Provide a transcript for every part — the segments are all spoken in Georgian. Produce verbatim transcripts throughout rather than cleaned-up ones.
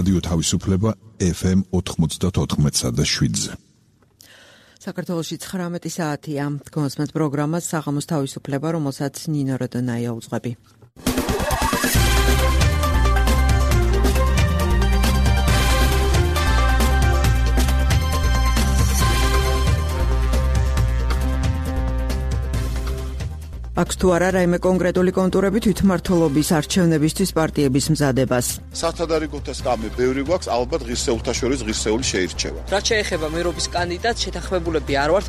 რადიო თავისუფლება ეფ ემ ოთხმოცდაოთხ და შვიდზე. საქართველოში ცხრამეტი საათია. გონსმენთ პროგრამას საღამოს თავისუფლება, რომელსაც ნინო როდონაია უძღვები. აქვს თუ არა რაიმე კონკრეტული კონტურები თვითმმართველობის არჩევნებისთვის პარტიების მზადებას. სათადარიგოთა სკამი ბევრი გვაქვს, ალბათ ღირსეულთა შორის ღირსეული შეირჩევა. რაც შეეხება მერობის კანდიდატს, შეთანხმებულები არ ვართ.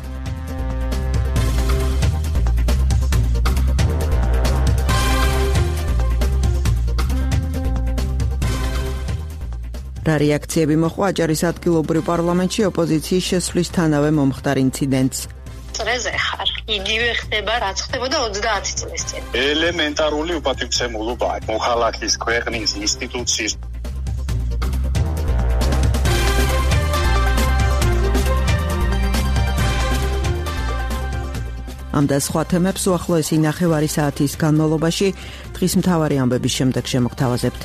რა რეაქციები მოჰყვა აჭარის ადგილობრივ პარლამენტში ოპოზიციის შესვლისთანავე მომხდარ ინციდენტს. წრეზე ხარ. იგივე ხდება, რაც ხდებოდა ოცდაათი წლის წინ. ელემენტარული უპატივცემულობაა. მოხალხის, ქვეყნის, ინსტიტუციის. ამ და სხვა თემებს უახლოესი ნახევარი საათის განმავლობაში დღის მთავარი ამბების შემდეგ შემოგთავაზებთ.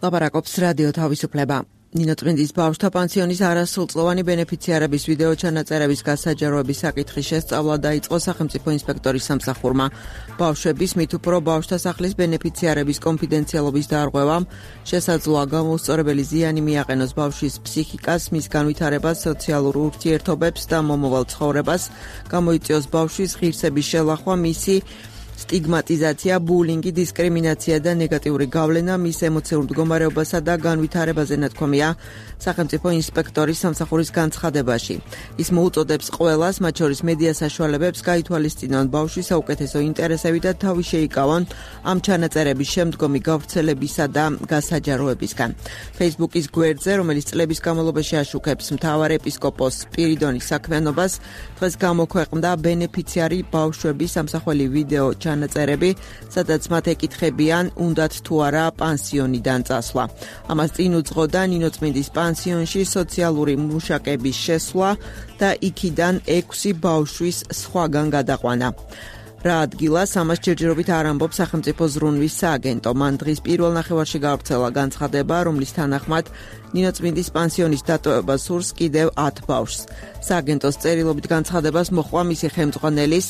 ლაპარაკობს რადიო თავისუფლება. ნინო წმინდის ბავშვთა პანსიონის არასრულწლოვანი ბენეფიციარების ვიდეო ჩანაწერების გასაჯაროების საკითხის შესწავლა დაიწყო სახელმწიფო ინსპექტორის სამსახურმა. ბავშვების მით უფრო ბავშვთა სახლის ბენეფიციარების კონფიდენციალობის დარღვევამ შესაძლოა გამოუსწორებელი ზიანი მიაყენოს ბავშვის ფსიქიკას, მის განვითარებას, სოციალურ ურთიერთობებს და მომავალ ცხოვრებას, გამოიწვიოს ბავშვის ღირსების შელახვა, მისი სტიგმატიზაცია, ბულინგი, დისკრიმინაცია და ნეგატიური გავლენა მის ემოციურ მდგომარეობასა და განვითარებაზე ნათქვამია სახელმწიფო ინსპექტორის სამსახურის განცხადებაში. ის მოუწოდებს ყველას, მათ შორის მედია საშუალებებს, გაითვალისწინონ ბავშვის საუკეთესო ინტერესები და თავი შეიკავონ ამ ჩანაწერების შემდგომი გავრცელებისა და გასაჯაროებისგან. Facebook-ის გვერდზე, რომელიც წლების განმავლობაში აშუქებს მთავარ ეპისკოპოს სპირიდონის საქმიანობას, დღეს გამოქვეყნდა ბენეფიციარი ბავშვების სამსახველი ვიდეო ჩანაწერები, სადაც მათ ეკითხებიან, უნდათ თუ არა პანსიონიდან წასვლა. ამას წინ უძღოდა ნინო წმინდის პანსიონში სოციალური მუშაკების შესვლა და იქიდან ექვსი ბავშვის სხვაგან გადაყვანა. რა ადგილას ამას ჯერჯერობით არ ამბობს სახელმწიფო ზრუნვის სააგენტო. მან დღის პირველ ნახევარში გავრცელა განცხადება, რომლის თანახმად ნინო წმინდის პანსიონის დატოვება სურს კიდევ ათ ბავშვს. სააგენტოს წერილობით განცხადებას მოჰყვა მისი ხელმძღვანელის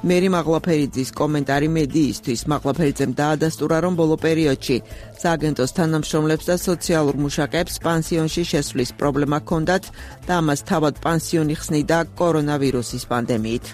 მერი მაღლაფერიძის კომენტარი მედიისთვის. მაღლაფერიძემ დაადასტურა, რომ ბოლო პერიოდში სააგენტოს თანამშრომლებს და სოციალურ მუშაკებს პანსიონში შესვლის პრობლემა ჰქონდათ და ამას თავად პანსიონი ხსნიდა კორონავირუსის პანდემიით.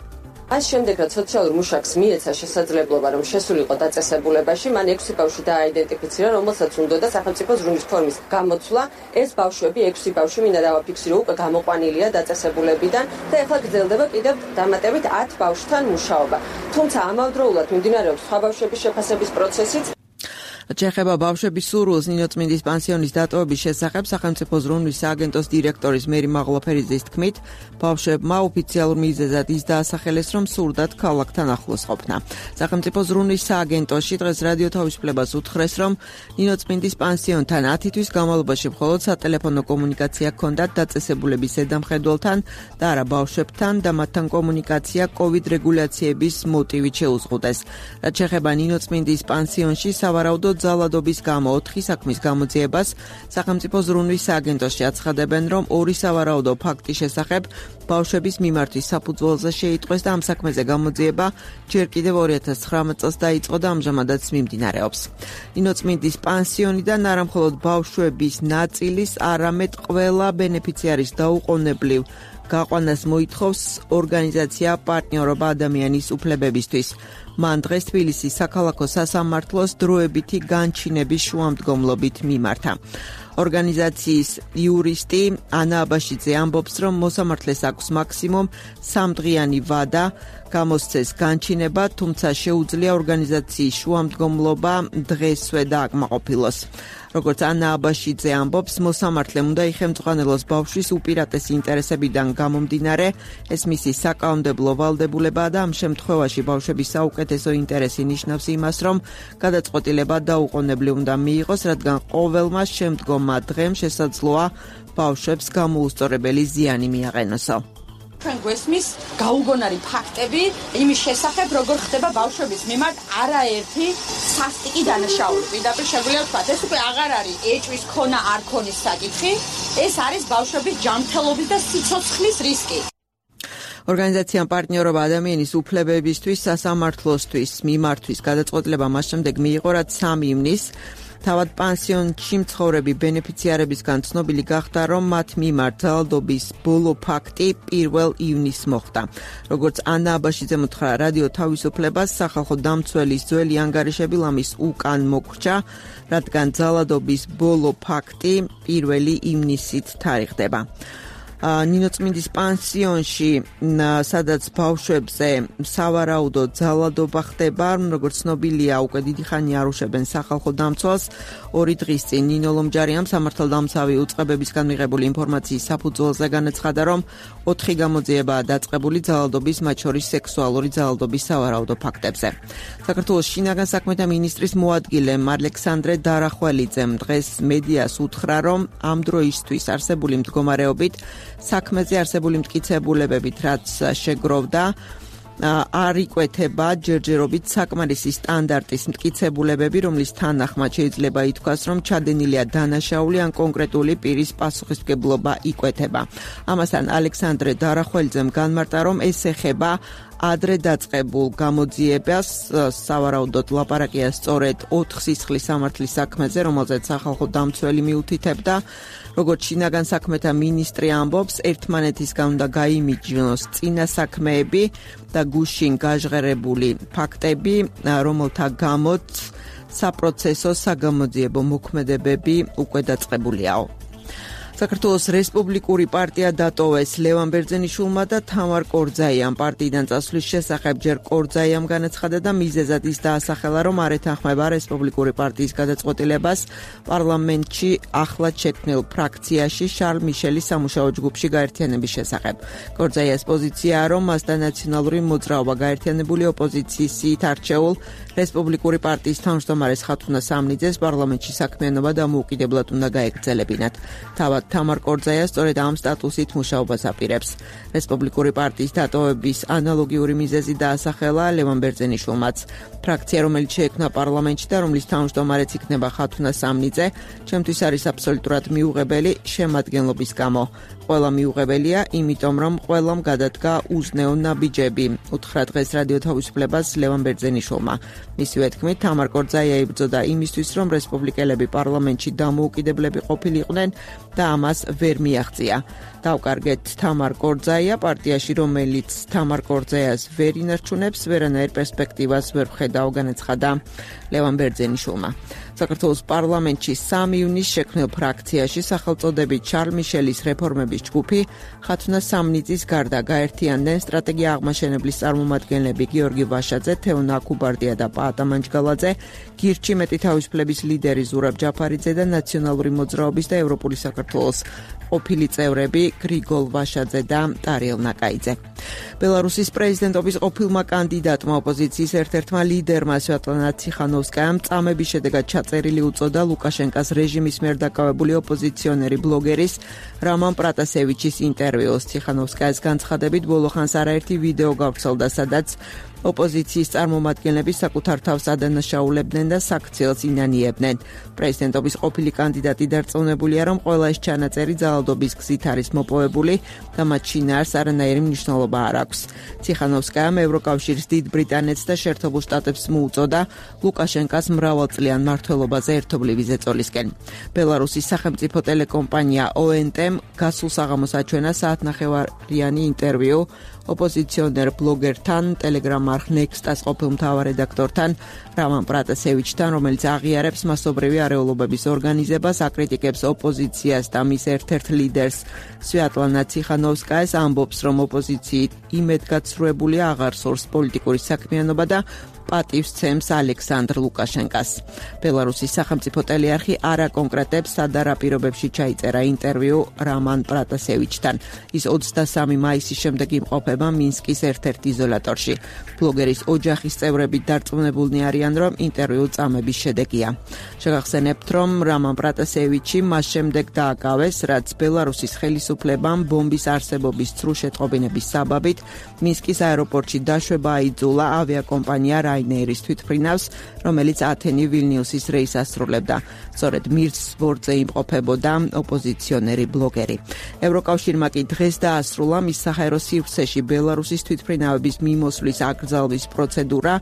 Მას შემდეგ, რაც სოციალურ მუშაკს მიეცა შესაძლებლობა, რომ შესულიყო დაწესებულებაში, მან ექვსი ბავშვი დააიდენტიფიცირა, რომელსაც უნდოდა სახელმწიფო ზრუნვის ფორმის გამოცვლა. ეს ბავშვები, ექვსი ბავშვი მინდა დავაფიქსირო, უკვე გამოყვანილია დაწესებულებიდან და ეხლა გრძელდება კიდევ დამატებით ათ ბავშვთან მუშაობა. თუმცა ამავდროულად მიმდინარეობს სხვა ბავშვების შეფასების პროცესიც. შეეხება ბავშვების სურვილს ნინო წმინდის პანსიონის დატოვების შესახებ სახელმწიფო ზრუნვის სააგენტოს დირექტორის მერი მაღლაფერიძის თქმით, ბავშვებმა ოფიციალურ მიზეზად ის დაასახელეს, რომ სურდათ ქალაქთან ახლოს ყოფნა. სახელმწიფო ზრუნვის სააგენტოში დღეს რადიო თავისუფლებას უთხრეს, რომ ნინო წმინდის პანსიონთან ათი თვის განმავლობაში მხოლოდ სატელეფონო კომუნიკაცია ჰქონდათ დაწესებულების ზედამხედველთან და არა ბავშვებთან და მათთან კომუნიკაცია კოვიდ რეგულაციების მოტივით შეუზღუდეს. რაც შეეხება ნინო წმინდის პანსიონში სავარაუდოდ ძალადობის გამო ოთხი საქმის გამოძიებას სახელმწიფო ზრუნვის სააგენტოში აცხადებენ, რომ ორი სავარაუდო ფაქტის შესახებ ბავშვების მიმართვის საფუძველზე შეიტყვეს და ამ საქმეზე გამოძიება ჯერ კიდევ ორი ათას ცხრამეტ წელს დაიწყო და ამჟამადაც მიმდინარეობს. ნინო წმინდის პანსიონიდან არა მხოლოდ ბავშვების ნაწილის, არამედ ყველა ბენეფიციარის დაუყოვნებლივ გაყვანას მოითხოვს ორგანიზაცია პარტნიორობა ადამიანის უფლებებისთვის. მან დღეს თბილისის საქალაქო სასამართლოს დროებითი განჩინების შუამდგომლობით მიმართა. ორგანიზაციის იურისტი ანა აბაშიძე ამბობს, რომ მოსამართლეს აქვს მაქსიმუმ სამდღიანი ვადა გამოსცეს განჩინება, თუმცა შეუძლია ორგანიზაციის შუამდგომლობა დღესვე დააკმაყოფილოს. როგორც ანა აბაშიძე ამბობს, მოსამართლემ უნდა იხელმძღვანელოს ბავშვის უპირატესი ინტერესებიდან გამომდინარე, ეს მისი საკანონმდებლო ვალდებულებაა და ამ შემთხვევაში ბავშვების საუკეთესო ინტერესი ნიშნავს იმას, რომ გადაწყვეტილება დაუყოვნებლივ უნდა მიიღოს, რადგან ყოველმა შემდგომმა დღემ შესაძლოა ბავშვებს გამოუსწორებელი ზიანი მიაყენოსო. ჩვენ გვესმის გაუგონარი ფაქტები იმის შესახებ, როგორ ხდება ბავშვების მიმართ არაერთი სასტიკი დანაშაული. პირდაპირ შეგვიძლია ვთქვათ, ეს უკვე აღარ არის ეჭვის ქონა არ ქონის საკითხი, ეს არის ბავშვების ჯანმრთელობის და სიცოცხლის რისკი. ორგანიზაციამ პარტნიორობა ადამიანის უფლებებისთვის სასამართლოსთვის მიმართვის გადაწყვეტილება მას შემდეგ მიიღო, რაც სამი ივნის თავად პანსიონში მცხოვრები ბენეფიციარებისგან ცნობილი გახდა, რომ მათ მიმართ ძალადობის ბოლო ფაქტი პირველ ივნისს მოხდა. როგორც ანა აბაშიძე მოთხრა რადიო თავისუფლებას, სახალხო დამცველის ძველი ანგარიშები ლამის უკან მოგვრჩა, რადგან ძალადობის ბოლო ფაქტი პირველი ივნისით თარიღდება. ნინოწმინდის პანსიონში, სადაც ბავშვებზე სავარაუდოდ ძალადობა ხდება, როგორც ცნობილია, უკვე დიდი ხანი არუშებენ სახალხო დამცველს. ორი დღის წინ ნინო ლომჯარიამ სამართალდამცავი უწყებებისგან მიღებული ინფორმაციის საფუძველზე განაცხადა, რომ ოთხი გამოძიებაა დაწყებული ძალადობის, მათ შორის სექსუალური ძალადობის სავარაუდო ფაქტებზე. საქართველოს შინაგან საქმეთა მინისტრის მოადგილემ ალექსანდრე დარახველიძემ დღეს მედიას უთხრა, რომ ამ დროისთვის არსებული მდგომარეობით საქმეზე არსებული მტკიცებულებებით, რაც შეგროვდა, არ იკვეთება ჯერჯერობით საკმარისი სტანდარტის მტკიცებულებები, რომლის თანახმად შეიძლება ითქვას, რომ ჩადენილია დანაშაული ან კონკრეტული პირის პასუხისმგებლობა იკვეთება. ამასთან ალექსანდრე დარახველიძემ განმარტა, რომ ეს ეხება ადრე დაწყებულ გამოძიებას, სავარაუდოდ ლაპარაკია სწორედ ოთხ სისხლის სამართლის საქმეზე, რომელზეც სახალხო დამცველი მიუთითებდა. როგორც შინაგან საქმეთა მინისტრი ამბობს, ერთმანეთისგან უნდა გაიმიჯნოს წინა საქმეები და გუშინ გაჟღერებული ფაქტები, რომელთა გამოც საპროცესო საგამოძიებო მოქმედებები უკვე დაწყებულიაო. საქართველოს რესპუბლიკური პარტია დატოვეს ლევან ბერძენიშვილმა და თამარ კორძაიამ. პარტიიდან წასვლის შესახებ ჯერ კორძაიამ განაცხადა და მიზეზად ის დაასახელა, რომ არ ეთანხმება რესპუბლიკური პარტიის გადაწყვეტილებას პარლამენტში ახლად შექმნილ ფრაქციაში შარლ მიშელის სამუშაო ჯგუფში გაერთიანების შესახებ. კორძაიას პოზიციაა, რომ მასთან ნაციონალური მოძრაობა გაერთიანებული ოპოზიციის სიით არჩეულ რესპუბლიკური პარტიის თავმჯდომარეს ხათუნა სამნიძეს პარლამენტში საქმიანობა დამოუკიდებლად უნდა გაეგრძელებინათ. თავად თამარ კორძაია სწორედ ამ სტატუსით მუშაობას აპირებს. რესპუბლიკური პარტიის დატოვების ანალოგიური მიზეზი დაასახელა ლევან ბერძენიშვილმაც. ფრაქცია, რომელიც შეექმნა პარლამენტში და რომლის თავმჯდომარეც იქნება ხათუნა სამნიძე, ჩემთვის არის აბსოლუტურად მიუღებელი შემადგენლობის გამო. ყველა მიუღებელია, იმიტომ რომ ყველამ გადადგა უზნეო ნაბიჯები, უთხრა დღეს რადიო თავისუფლებას ლევან ბერძენიშვილმა. მისივე თქმით, თამარ კორძაია იბრძოდა იმისთვის, რომ რესპუბლიკელები პარლამენტში დამოუკიდებლები ყოფილიყვნენ და ამას ვერ მიაღწია. დავკარგეთ თამარ კორძაია, პარტიაში, რომელიც თამარ კორძაიას ვერ ინარჩუნებს, ვერანაირ პერსპექტივას ვერ ვხედავ, განაცხადა ლევან ბერძენიშვილმა. საქართველოს პარლამენტში სამი ივნისს შექმნილ ფრაქციაში სახელწოდებით შარლ მიშელის რეფორმების ჯგუფი ხათუნა სამნიძის გარდა გაერთიანდნენ სტრატეგია აღმაშენებლის წარმომადგენლები გიორგი ვაშაძე, თეონა აკუბარდია და პაატა მანჯგალაძე, გირჩი მეტი თავისუფლების ლიდერი ზურაბ ჯაფარიძე და ნაციონალური მოძრაობის და ევროპული საქართველოს ყოფილი წევრები გრიგოლ ვაშაძე და ტარიელ ნაკაიძე. ბელარუსის პრეზიდენტობის ყოფილმა კანდიდატმა ოპოზიციის ერთ-ერთმა ლიდერმა სვიატლანა ციხანოვსკაიამ წამების შედეგად ჩაწერილი უწოდა ლუკაშენკას რეჟიმის მიერ დაკავებული ოპოზიციონერი ბლოგერის რამან პრატასევიჩის ინტერვიუს. ციხანოვსკაიას განცხადებით ბოლო ხანს არაერთი ვიდეო გავრცელდა, სადაც ოპოზიციის წარმომადგენლები საკუთარ თავს ადანაშაულებდნენ და საქციელს ინანიებდნენ. პრეზიდენტობის ყოფილი კანდიდატი დარწმუნებულია, რომ ყველა ეს ჩანაწერი ძალადობის გზით არის მოპოვებული და მათ შინაარს არანაირი მნიშვნელობა არ აქვს. ციხანოვსკაიამ ევროკავშირის დიდ ბრიტანეთს და შეერთებულ შტატებს მოუწოდა ლუკაშენკას მრავალწლიან მმართველობაზე ერთობლივი ზეწოლისკენ. ბელარუსის სახელმწიფო ტელეკომპანია ო ენ ტე-მ გასულ საღამოს აჩვენა საათნახევარიანი ინტერვიუ ოპოზიციონერ ბლოგერთან, ტელეგრამ არხ ნექსტას ყოფილ მთავარ რედაქტორთან რამან პრატასევიჩთან, რომელიც აღიარებს მასობრივი არეულობების ორგანიზებას, აკრიტიკებს ოპოზიციას და მის ერთ-ერთ ლიდერს სვიატლანა ციხანოვსკაიას, ამბობს, რომ ოპოზიციით იმედგაცრუებულია, აღარ სურს პოლიტიკური საქმიანობა და პატივს ცემს ალექსანდრ ლუკაშენკას. ბელარუსის სახელმწიფო ტელეარხი არ აკონკრეტებს, სადარა პირობებში ჩაიწერა ინტერვიუ რამან პრატასევიჩთან. ის ოცდასამი მაისის შემდეგ იმყოფება მინსკის ერთ-ერთ იზოლატორში. ბლოგერის ოჯახის წევრები დარწმუნებულნი არიან, რომ ინტერვიუ წამების შედეგია. შეგახსენებთ, რომ რამან პრატასევიჩი მას შემდეგ დააკავეს, რაც ბელარუსის ხელისუფლებამ ბომბის არსებობის ცრუ შეტყობინების საბაბით მინსკის აეროპორტში დაშვება აიძულა ავიაკომპანია რაინეირის თვითმფრინავს, რომელიც ათენი ვილნიუსის რეისს ასრულებდა. სწორედ მირს ბორტზე იმყოფებოდა ოპოზიციონერი ბლოგერი. ევროკავშირმა კი დღეს დაასრულა მის საჰაერო სივრცეში ბელარუსის თვითმფრინავების მიმოსვლის აკრძალვის პროცედურა.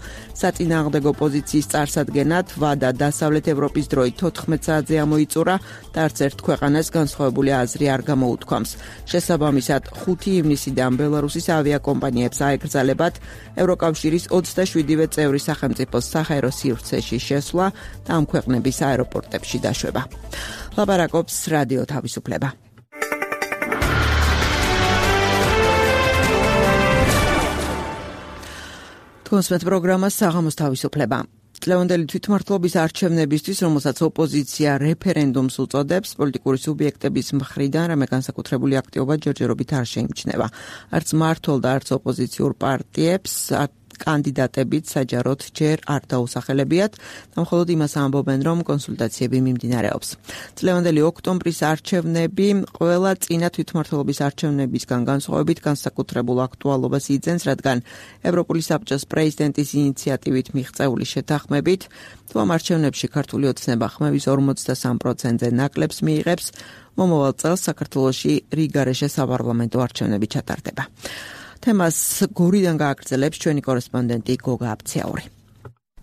საწინააღმდეგო პოზიციის წარსადგენად ვადა დასავლეთ ევროპის დროით თოთხმეტ საათზე ამოიწურა და არც ერთ ქვეყანას განსხვავებული აზრი არ გამოუთქვამს. შესაბამისად, ხუთი ივნისიდან ბელარუსის ავიაკომპანიებს აეკრძალებათ ევროკავშირის ოცდაშვიდივე წევრი სახელმწიფოს საჰაერო სივრცეში შესვლა და ამ ქვეყნების აეროპორტებში დაშვება. ლაპარაკობს რადიო თავისუფლება. თქოსმეთ პროგრამას საღამოს თავისუფლება. წლევანდელი თვითმმართველობის არჩევნებისთვის, რომელსაც ოპოზიცია რეფერენდუმს უწოდებს, პოლიტიკური სუბიექტების მხრიდან რამე განსაკუთრებული აქტივობა ჯერჯერობით არ შეიმჩნევა. არც მმართველ და არც ოპოზიციურ პარტიებს კანდიდატებით საჯაროდ ჯერ არ დაუსახელებიათ და მხოლოდ იმას ამბობენ, რომ კონსულტაციები მიმდინარეობს. წლევანდელი ოქტომბრის არჩევნები ყველა წინა თვითმმართველობის არჩევნებისგან განსხვავებით განსაკუთრებულ აქტუალობას იძენს, რადგან ევროპული საბჭოს პრეზიდენტის ინიციატივით მიღწეული შეთანხმებით, თუ ამ არჩევნებში ქართული ოცნება ხმების ორმოცდასამ პროცენტზე ნაკლებს მიიღებს, მომავალ წელს საქართველოში რიგარეშე საპარლამენტო არჩევნები ჩატარდება. თემას გორიდან გააგრძელებს ჩვენი კორესპონდენტი გოგა აბციაური.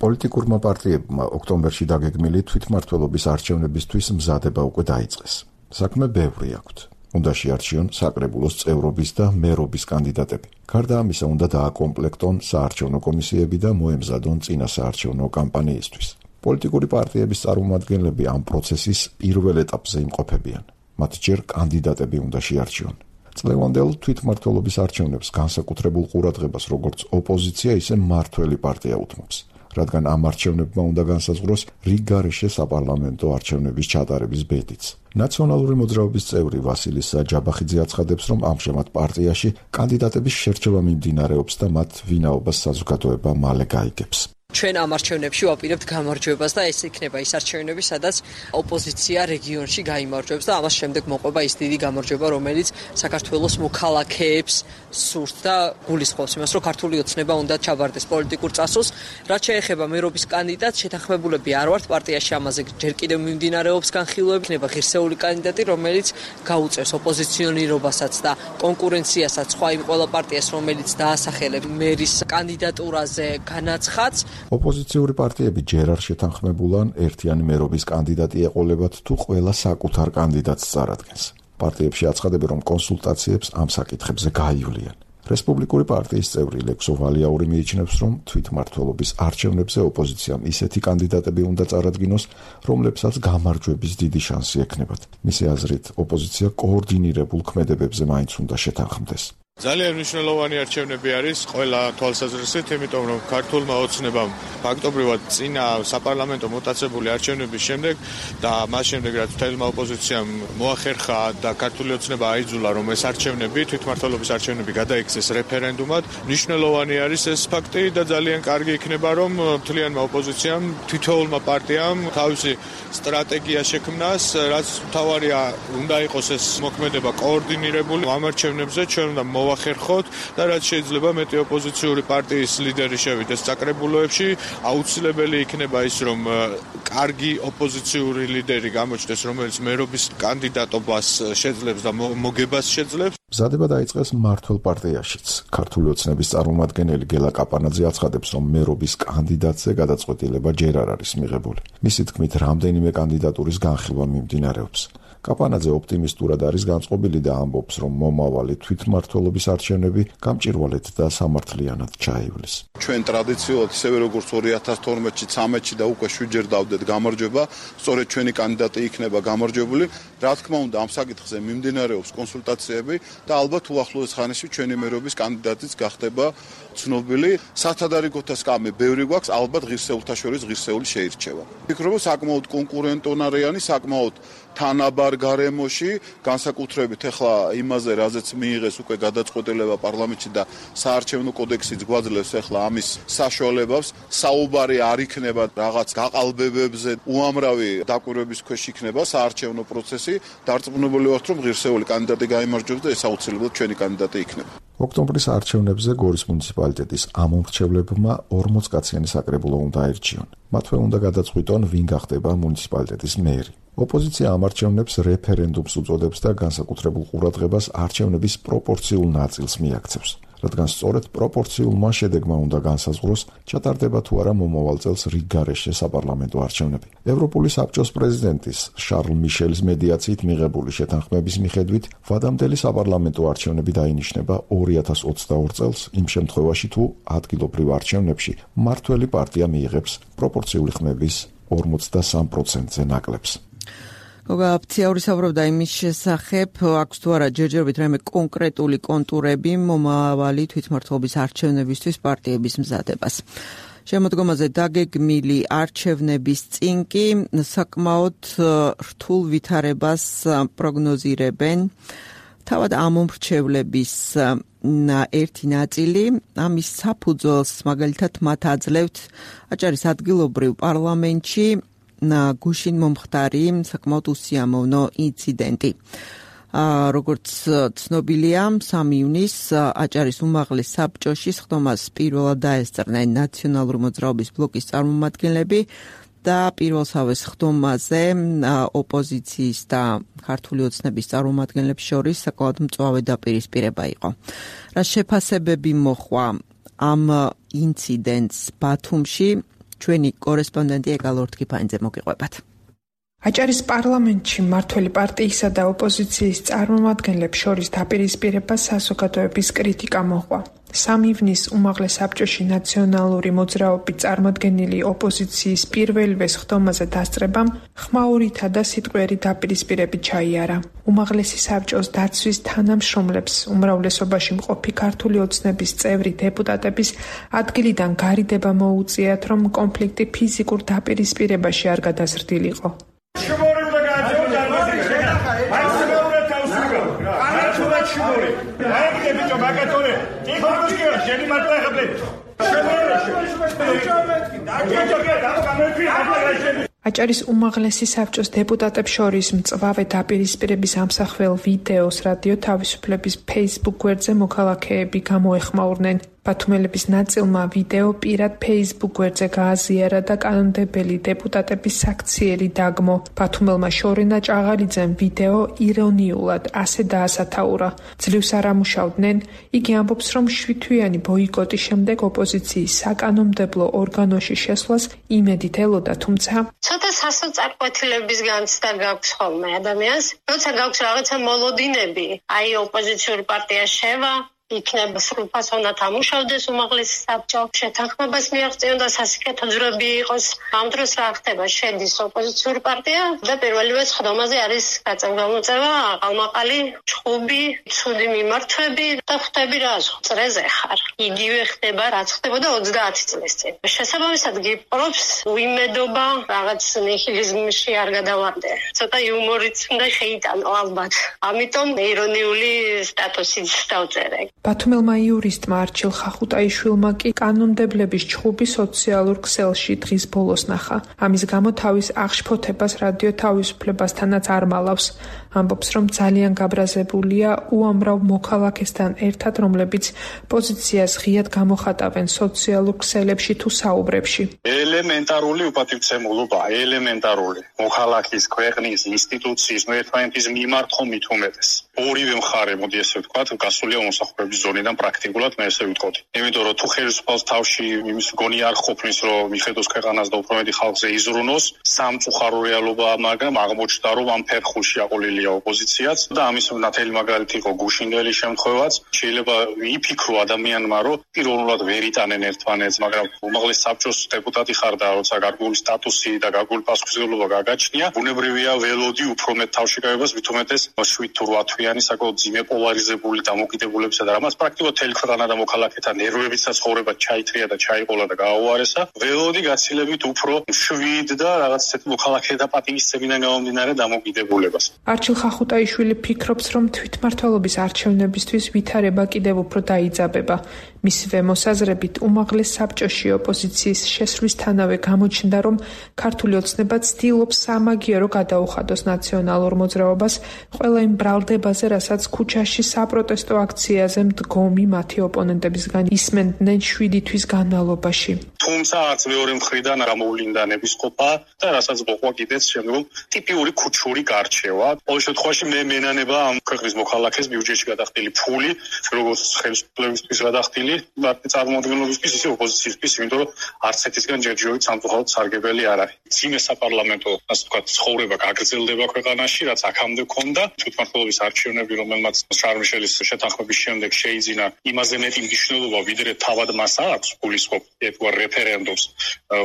პოლიტიკურმა პარტიებმა ოქტომბერში დაგეგმილი თვითმმართველობის არჩევნებისთვის მზადება უკვე დაიწყეს. საქმე ბევრი აქვთ. უნდა შეარჩიონ საკრებულოს წევრობის და მერობის კანდიდატები. გარდა ამისა, უნდა დააკომპლექტონ საარჩევნო კომისიები და მოემზადონ წინა საარჩევნო კამპანიისთვის. პოლიტიკური პარტიების წარმომადგენლები ამ პროცესის პირველ ეტაპზე იმყოფებიან. მათ ჯერ კანდიდატები უნდა შეარჩიონ. წლევანდელ თვითმმართველობის არჩევნებს განსაკუთრებულ ყურადღებას როგორც ოპოზიცია, ისე მმართველი პარტია უთმობს, რადგან ამ არჩევნებმა უნდა განსაზღვროს რიგგარეშე საპარლამენტო არჩევნების ჩატარების ბედიც. ნაციონალური მოძრაობის წევრი ვასილი საჯაბახიძე აცხადებს, რომ ამჟამად პარტიაში კანდიდატების შერჩევა მიმდინარეობს და მათ ვინაობას საზოგადოება მალე გაიგებს. ჩვენ ამ არჩევნებში ვაპირებთ გამარჯვებას და ეს იქნება ის არჩევნები, სადაც ოპოზიცია რეგიონში გაიმარჯვებს და ამას შემდეგ მოყვება ის დიდი გამარჯვება, რომელიც საქართველოს მოქალაქეებს სურთ და გულისხმობს იმას, რომ ქართული ოცნება უნდა ჩაბარდეს პოლიტიკურ წასულს. რაც შეეხება მერობის კანდიდატს, შეთანხმებულები არ ვართ პარტიაში, ამაზე ჯერ კიდევ მიმდინარეობს განხილვები. იქნება ღირსეული კანდიდატი, რომელიც გაუწევს ოპოზიციონირობასაც და კონკურენციასაც სხვა იმ ყველა პარტიას, რომელიც დაასახელებს მერის კანდიდატურაზე განაცხადს. ოპოზიციური პარტიები ჯერ არ შეთანხმებულან ერთიანი მერობის კანდიდატი ეყოლებათ თუ ყველა საკუთარ კანდიდატს წარადგენს. პარტიებში აცხადებენ, რომ კონსულტაციებს ამ საკითხებზე გაივლიან. რესპუბლიკური პარტიის წევრი ლექსო ვალიაური მიიჩნევს, რომ თვითმმართველობის არჩევნებზე ოპოზიციამ ისეთი კანდიდატები უნდა წარადგინოს, რომლებსაც გამარჯვების დიდი შანსი ექნებათ. მისი აზრით, ოპოზიცია კოორდინირებულ ქმედებებზე მაინც უნდა შეთანხმდეს. ძალიან მნიშვნელოვანი არჩევნები არის ყველა თვალსაზრისით, იმიტომ რომ ქართულმა ოცნებამ ფაქტობრივად წინა საპარლამენტო მოტაცებული არჩევნების შემდეგ და მას შემდეგ რაც მთელმა ოპოზიციამ მოახერხა და ქართული ოცნება აიძულა, რომ ეს არჩევნები, თვითმმართველობის არჩევნები გადაიქცეს რეფერენდუმად, მნიშვნელოვანი არის ეს ფაქტი და ძალიან კარგი იქნება, რომ მთლიანმა ოპოზიციამ, თითოეულმა პარტიამ თავისი სტრატეგია შექმნას, რაც მთავარია უნდა იყოს ეს მოქმედება კოორდინირებული ამ არჩევნებზე, ჩვენ უნდა მოვახერხოთ და რაც შეიძლება მეტი ოპოზიციური პარტიის ლიდერი შევიდეს საკრებულოებში, აუცილებელი იქნება ის, რომ კარგი ოპოზიციური ლიდერი გამოჩნდეს, რომელიც მერობის კანდიდატობას შეძლებს და მოგებას შეძლებს. მზადება დაიწყეს მმართველ პარტიაშიც. ქართული ოცნების წარმომადგენელი გელა კაპანაძე აცხადებს, რომ მერობის კანდიდატზე გადაწყვეტილება ჯერ არ არის მიღებული. მისი თქმით, რამდენიმე კანდიდატურის განხილვა მიმდინარეობს. კაპანაძე ოპტიმისტურად არის განწყობილი და ამბობს, რომ მომავალი თვითმმართველობის არჩევნები გამჭირვალედ და სამართლიანად ჩაივლის. ჩვენ ტრადიციულად ისევე როგორც ორი ათას თორმეტში, ცამეტში და უკვე შვიდჯერ დავდეთ გამარჯვება, სწორედ ჩვენი კანდიდატი იქნება გამარჯვებული. რა თქმა უნდა, ამ საკითხზე მიმდინარეობს კონსულტაციები და ალბათ უახლოეს ხანში ჩვენი მერობის კანდიდატიც გახდება ცნობილი. სათადარიგოთა სკამი ბევრი გვაქვს, ალბათ ღირსეულთა შორის ღირსეული შეირჩევა. ვფიქრობ, საკმაოდ კონკურენტონარიანი, საკმაოდ თანაბარ გარემოში, განსაკუთრებით ახლა იმაზე, რაზეც მიიღეს უკვე გადაწყვეტილება პარლამენტში და საარჩევნო კოდექსიც გვაძლევს ახლა ამის საშუალებას, საუბარი არ იქნება რაღაც გაყალბებებზე, უამრავი დაკვირვების ქვეშ იქნება საარჩევნო პროცესი, დარწმუნებული ვართ, რომ ღირსეული კანდიდატი გაიმარჯვებს და ეს აუცილებლად ჩვენი კანდიდატი იქნება. ოქტომბრის არჩევნებზე გორის მუნიციპალიტეტის ამომრჩევლებმა ორმოც კაციანი საკრებულო უნდა აირჩიონ. მათვე უნდა გადაწყვიტონ, ვინ გახდება მუნიციპალიტეტის მერი. ოპოზიცია ამ არჩევნებს რეფერენდუმს უწოდებს და განსაკუთრებულ ყურადღებას არჩევნების პროპორციულ ნაწილს მიაქცევს. რადგან სწორედ პროპორციულმა შედეგმა უნდა განსაზღვროს, ჩატარდება თუ არა მომავალ წელს რიგ გარეშე საპარლამენტო არჩევნები. ევროპული საბჭოს პრეზიდენტის შარლ მიშელის მედიაციით მიღებული შეთანხმების მიხედვით, ვადამდელი საპარლამენტო არჩევნები დაინიშნება ორი ათას ოცდაორი წელს, იმ შემთხვევაში თუ ადგილობრივ არჩევნებში მმართველი პარტია მიიღებს პროპორციული ხმების ორმოცდასამ პროცენტზე ნაკლებს. გოგა აფციაური საუბრობდა იმის შესახებ, აქვს თუ არა ჯერჯერობით რაიმე კონკრეტული კონტურები მომავალი თვითმმართველობის არჩევნებისთვის პარტიების მზადებას. შემოდგომაზე დაგეგმილი არჩევნების წინ კი საკმაოდ რთულ ვითარებას პროგნოზირებენ თავად ამომრჩევლების ერთი ნაწილი. ამის საფუძველს მაგალითად მათ აძლევთ აჭარის ადგილობრივ პარლამენტში გუშინ მომხდარი საკმაოდ უსიამოვნო ინციდენტი. როგორც ცნობილია, სამი ივნისს აჭარის უმაღლეს საბჭოში სხდომას პირველად დაესწრნენ ნაციონალური მოძრაობის ბლოკის წარმომადგენლები და პირველსავე სხდომაზე ოპოზიციის და ქართული ოცნების წარმომადგენლებს შორის საკმაოდ მწვავე დაპირისპირება იყო. რა შეფასებები მოხვა ამ ინციდენტს ბათუმში, ჩვენი კორესპონდენტი ეგალ ორთქიფანიძე მოგიყვებათ. აჭარის პარლამენტში მმართველი პარტიისა და ოპოზიციის წარმომადგენლებს შორის დაპირისპირება საზოგადოების კრიტიკა მოჰყვა. სამი ივნისს უმაღლეს საბჭოში ნაციონალური მოძრაობის წარმოდგენილი ოპოზიციის პირველივე სხდომაზე დასწრებამ ხმაურითა და სიტყვიერი დაპირისპირებით ჩაიარა. უმაღლესი საბჭოს დაცვის თანამშრომლებს, უმრავლესობაში მყოფი ქართული ოცნების წევრი დეპუტატების ადგილიდან გარიდება მოუწიათ, რომ კონფლიქტი ფიზიკურ დაპირისპირებაში არ გადაზრდილიყო. აჭარის უმაღლესი საბჭოს დეპუტატებს შორის მწვავე დაპირისპირების ამსახველ ვიდეოს რადიო თავისუფლების Facebook გვერდზე მოქალაქეები გამოეხმაურნენ. ბათუმელების ნაწილმა ვიდეო პირად Facebook გვერდზე გააზიარა და კანონმდებელი დეპუტატების საქციელი დაგმო. ბათუმელმა შორენა ჭაღალიძემ ვიდეო ირონიულად ასე დაასათაურა. ძლივს არ ამუშავდნენ, იგი ამბობს, რომ შვიდთვიანი ბოიკოტის შემდეგ ოპოზიციის საკანონმდებლო ორგანოში შესვლას იმედით ელოდა, თუმცა ცოტა სასოწარკვეთილების განცდა გაქვს ხოლმე ადამიანს, როცა გაქვს რაღაცა მოლოდინები, აი ოპოზიციური პარტია შევა იქნება სრულფასოვნად ამუშავდეს უმაღლესი საბჭო, შეთანხმებას მიაღწიონ და სასიკეთო ძვრები იყოს. ამ დროს რა ხდება? შედის ოპოზიციური პარტია და პირველივე სხდომაზე არის გაწევგამოწევა, აყალმაყალი, ჩხუბი, ცუდი მიმართვები და ხვდები რა წრეზე ხარ. იგივე ხდება, რაც ხდებოდა ოცდაათი წლის წინ. შესაბამისად გიპყრობს უიმედობა, რაღაც ნიჰილიზმში არ გადავარდე. ცოტა იუმორიც უნდა შეიტანო ალბათ. ამიტომ ირონიული სტატუსიც დავწერე. ბათუმელმა იურისტმა არჩილ ხახუტაიშვილმა კი კანონმდებლების ჩხუბი სოციალურ ქსელში დღის ბოლოს ნახა. ამის გამო თავის აღშფოთებას რადიო თავისუფლებასთანაც არ მალავს. ამბობს, რომ ძალიან გაბრაზებულია უამრავ მოქალაქესთან ერთად, რომლებიც პოზიციას ღიად გამოხატავენ სოციალურ ქსელებში თუ საუბრებში. ელემენტარული უპატივცემულობაა, ელემენტარული. მოქალაქის, ქვეყნის, ინსტიტუციის, ერთმანეთის მიმართ ხომ მithumetes. ორივე მხარე, მოდი ესე ვთქვათ, გასულია მომსახურების გაუქმების ზონიდან პრაქტიკულად მე ესე ვიტყოდი. იმიტომ რომ თუ ხელისუფალს თავში იმის გონი არ ყოფნის, რომ მიხედოს ქვეყანას და უფრო მეტი ხალხზე იზრუნოს, სამწუხარო რეალობაა, მაგრამ აღმოჩნდა, რომ ამ ფერხულში აყოლილია ოპოზიციაც და ამის ნათელი მაგალითი იყო გუშინდელი შემთხვევაც. შეიძლება იფიქრო ადამიანმა, რომ პირველად ვერ იტანენ ერთმანეთს, მაგრამ უმაღლეს საბჭოს დეპუტატი ხარ და როცა გარკვეული სტატუსი და გარკვეული პასუხისმგებლობა გაგაჩნია, ბუნებრივია ველოდი უფრო მეტ თავშეკავებას, მით უმეტეს შვიდ თუ რვა თვიანი საკმაოდ ძიმე პოლარიზებული დამოკიდებულებისა და რამაც პრაქტიკულად მთელი ქვეყანა და მოქალაქეთა ნერვებიც და ცხოვრება ჩაითრია და ჩაიყოლა და გააუარესა. ველოდი გაცილებით უფრო შვიდ და რაღაც ისეთი მოქალაქეთა პატივისცემიდან გამომდინარე დამოკიდებულებას. არჩილ ხახუტაიშვილი ფიქრობს, რომ თვითმმართველობის არჩევნებისთვის ვითარება კიდევ უფრო დაიძაბება. მისივე მოსაზრებით უმაღლეს საბჭოში ოპოზიციის შესვლისთანავე გამოჩნდა, რომ ქართული ოცნება ცდილობს სამაგიერო გადაუხადოს ნაციონალურ მოძრაობას ყველა იმ ბრალდებაზე, რასაც ქუჩაში საპროტესტო აქციაზე მდგომი მათი ოპონენტებისგან ისმენდნენ შვიდი თვის განმავლობაში. თუმცა არც მეორე მხრიდან გამოვლინდა ნებისყოფა და რასაც მოყვა კიდეც შემდგომ ტიპიური ქუჩური გარჩევა. ყოველ შემთხვევაში მე მენანება ამ ქვეყნის მოქალაქეს ბიუჯეტში გადახდილი ფული, როგორც ხელისუფლებისთვის გადახდილი მათი წარმოადგენლობისთვის, ისე ოპოზიციისთვის, იმიტომ რომ არც ეთისგან ჯერჯერობით სამწუხაროდ სარგებელი არ არის. ძიმე საპარლამენტო, ასე ვთქვათ, ცხოვრება გაგრძელდება ქვეყანაში, რაც აქამდე ჰქონდა. თვითმმართველობის არჩევნები, რომელმაც შარლ-მიშელის შეთანხმების შემდეგ შეიძინა, იმაზე მეტი მნიშვნელობა, ვიდრე თავად მას აქვს გულისხმობ ერთგვარ რეფერენდუმს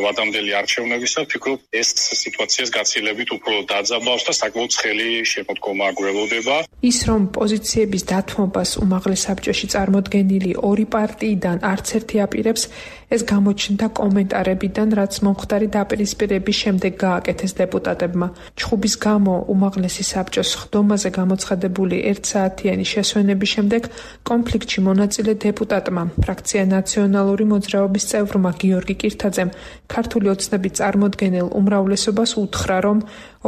ვადამდელი არჩევნებისა, ვფიქრობ, ეს სიტუაციას გაცილებით უფრო დაძაბავს და საკმაოდ ცხელი შემოდგომა გველოდება. ის რომ პოზიციების დათმობას უმაღლეს საბჭოში წარმოდგენილი ორი პარტიიდან არც ერთი აპირებს, ეს გამოჩნდა კომენტარებიდან, რაც მომხდარი დაპირისპირების შემდეგ გააკეთეს დეპუტატებმა. ჩხუბის გამო უმაღლესი საბჭოს ხდომაზე გამოცხადებული ერთსაათიანი შესვენების შემდეგ კონფლიქტში მონაწილე დეპუტატმა, ფრაქცია ნაციონალური მოძრაობის წევრმა გიორგი კირთაძემ ქართული ოცნების წარმოდგენილ უმრავლესობას უთხრა, რომ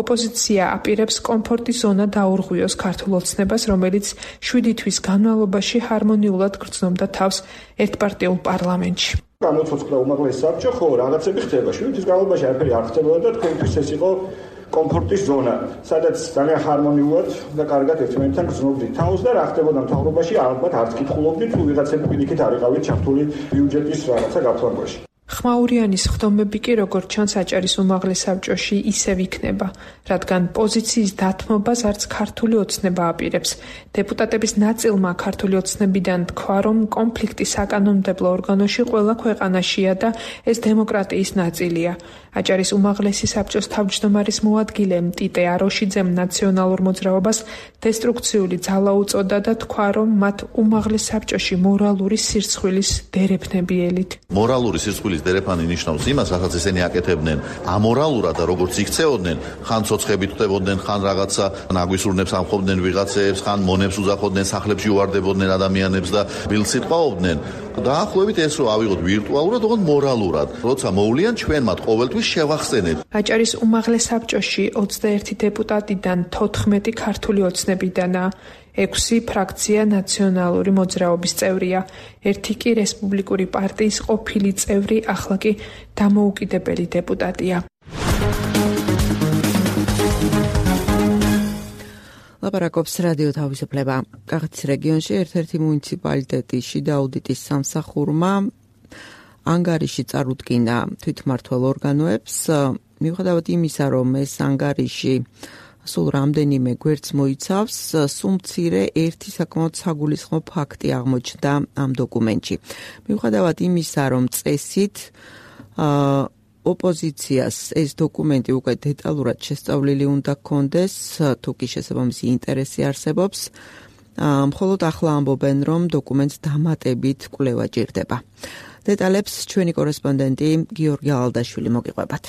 ოპოზიცია აპირებს კომფორტის ზონა დაურღვიოს ქართულ ოცნებას, რომელიც შვიდი თვის განმავლობაში ჰარმონიულად გრძნობდა თავს ერთპარტიულ პარლამენტში. განუცოცხლა უმაღლესი საბჭო, ხო, რაღაცები ხდება. შვიდი თვის განმავლობაში არაფერი არ ხდებოდა და თქვენთვის ეს იყო კომფორტის ზონა, სადაც ძალიან ჰარმონიულად და კარგად ერთმანეთთან გრძნობდით თავს და რა ხდებოდა მთავრობაში, ალბათ არც კითხულობდით, თუ ვიღაცები პირიქით არ იყავით ჩართული ბიუჯეტის რაღაცა გაფორმებაში. ხმაურიანის ხდომები კი როგორც ჩანს აჭარის უმაღლეს საბჭოში ისევ იქნება, რადგან პოზიციის დათმობას არც ქართული ოცნება აპირებს. დეპუტატების ნაწილმა ქართული ოცნებიდან თქვა, რომ კონფლიქტი საკანონმდებლო ორგანოში ყველა ქვეყანაშია და ეს დემოკრატიის ნაწილია. აჭარის უმაღლესი საბჭოს თავმჯდომარის მოადგილე ტიტე აროშიძემ ნაციონალურ მოძრაობას დესტრუქციული ძალა უწოდა და თქვა, რომ მათ უმაღლეს საბჭოში მორალური სირცხვილის დერეფნებიელით. მორალური სირცხვილის დერეფანი ნიშნავს იმას, რასაც ესენი აკეთებდნენ ამორალურად და როგორც იქცეოდნენ, ხან ცოცხებით ხდებოდნენ, ხან რაღაცა ნაგვისურნებს ამხობდნენ ვიღაცეებს, ხან მონებს უძახოდნენ, სახლებში უვარდებოდნენ ადამიანებს და ბილს იტყვაობდნენ. დაახლოებით ეს რო ავიღოთ ვირტუალურად, ოღონდ მორალურად. როცა მოვლიან ჩვენ მათ ყოველთვის შევახსენეთ. აჭარის უმაღლეს საბჭოში ოცდაერთი დეპუტატიდან თოთხმეტი ქართული ოცნებიდანაა. ექვსი ფრაქცია ნაციონალური მოძრაობის წევრია, ერთი კი რესპუბლიკური პარტიის ყოფილი წევრი, ახლა კი დამოუკიდებელი დეპუტატია. ლაპარაკობს რადიო თავისუფლება. კახეთის რეგიონში ერთ-ერთი მუნიციპალიტეტი შიდა აუდიტის სამსახურმა ანგარიში წარუდგინა თვითმმართველ ორგანოებს, მიუხედავად იმისა, რომ ეს ანგარიში სულ რამდენიმე გვერდს მოიცავს, სულ მცირე ერთი საკმაოდ საგულისხმო ფაქტი აღმოჩნდა ამ დოკუმენტში. მიუხედავად იმისა, რომ წესით ოპოზიციას ეს დოკუმენტი უკვე დეტალურად შესწავლილი უნდა ჰქონდეს, თუ კი შესაბამისი ინტერესი არსებობს, მხოლოდ ახლა ამბობენ, რომ დოკუმენტს დამატებით კვლევა ჭირდება. დეტალებს ჩვენი კორესპონდენტი გიორგი ალალდაშვილი მოგიყვებათ.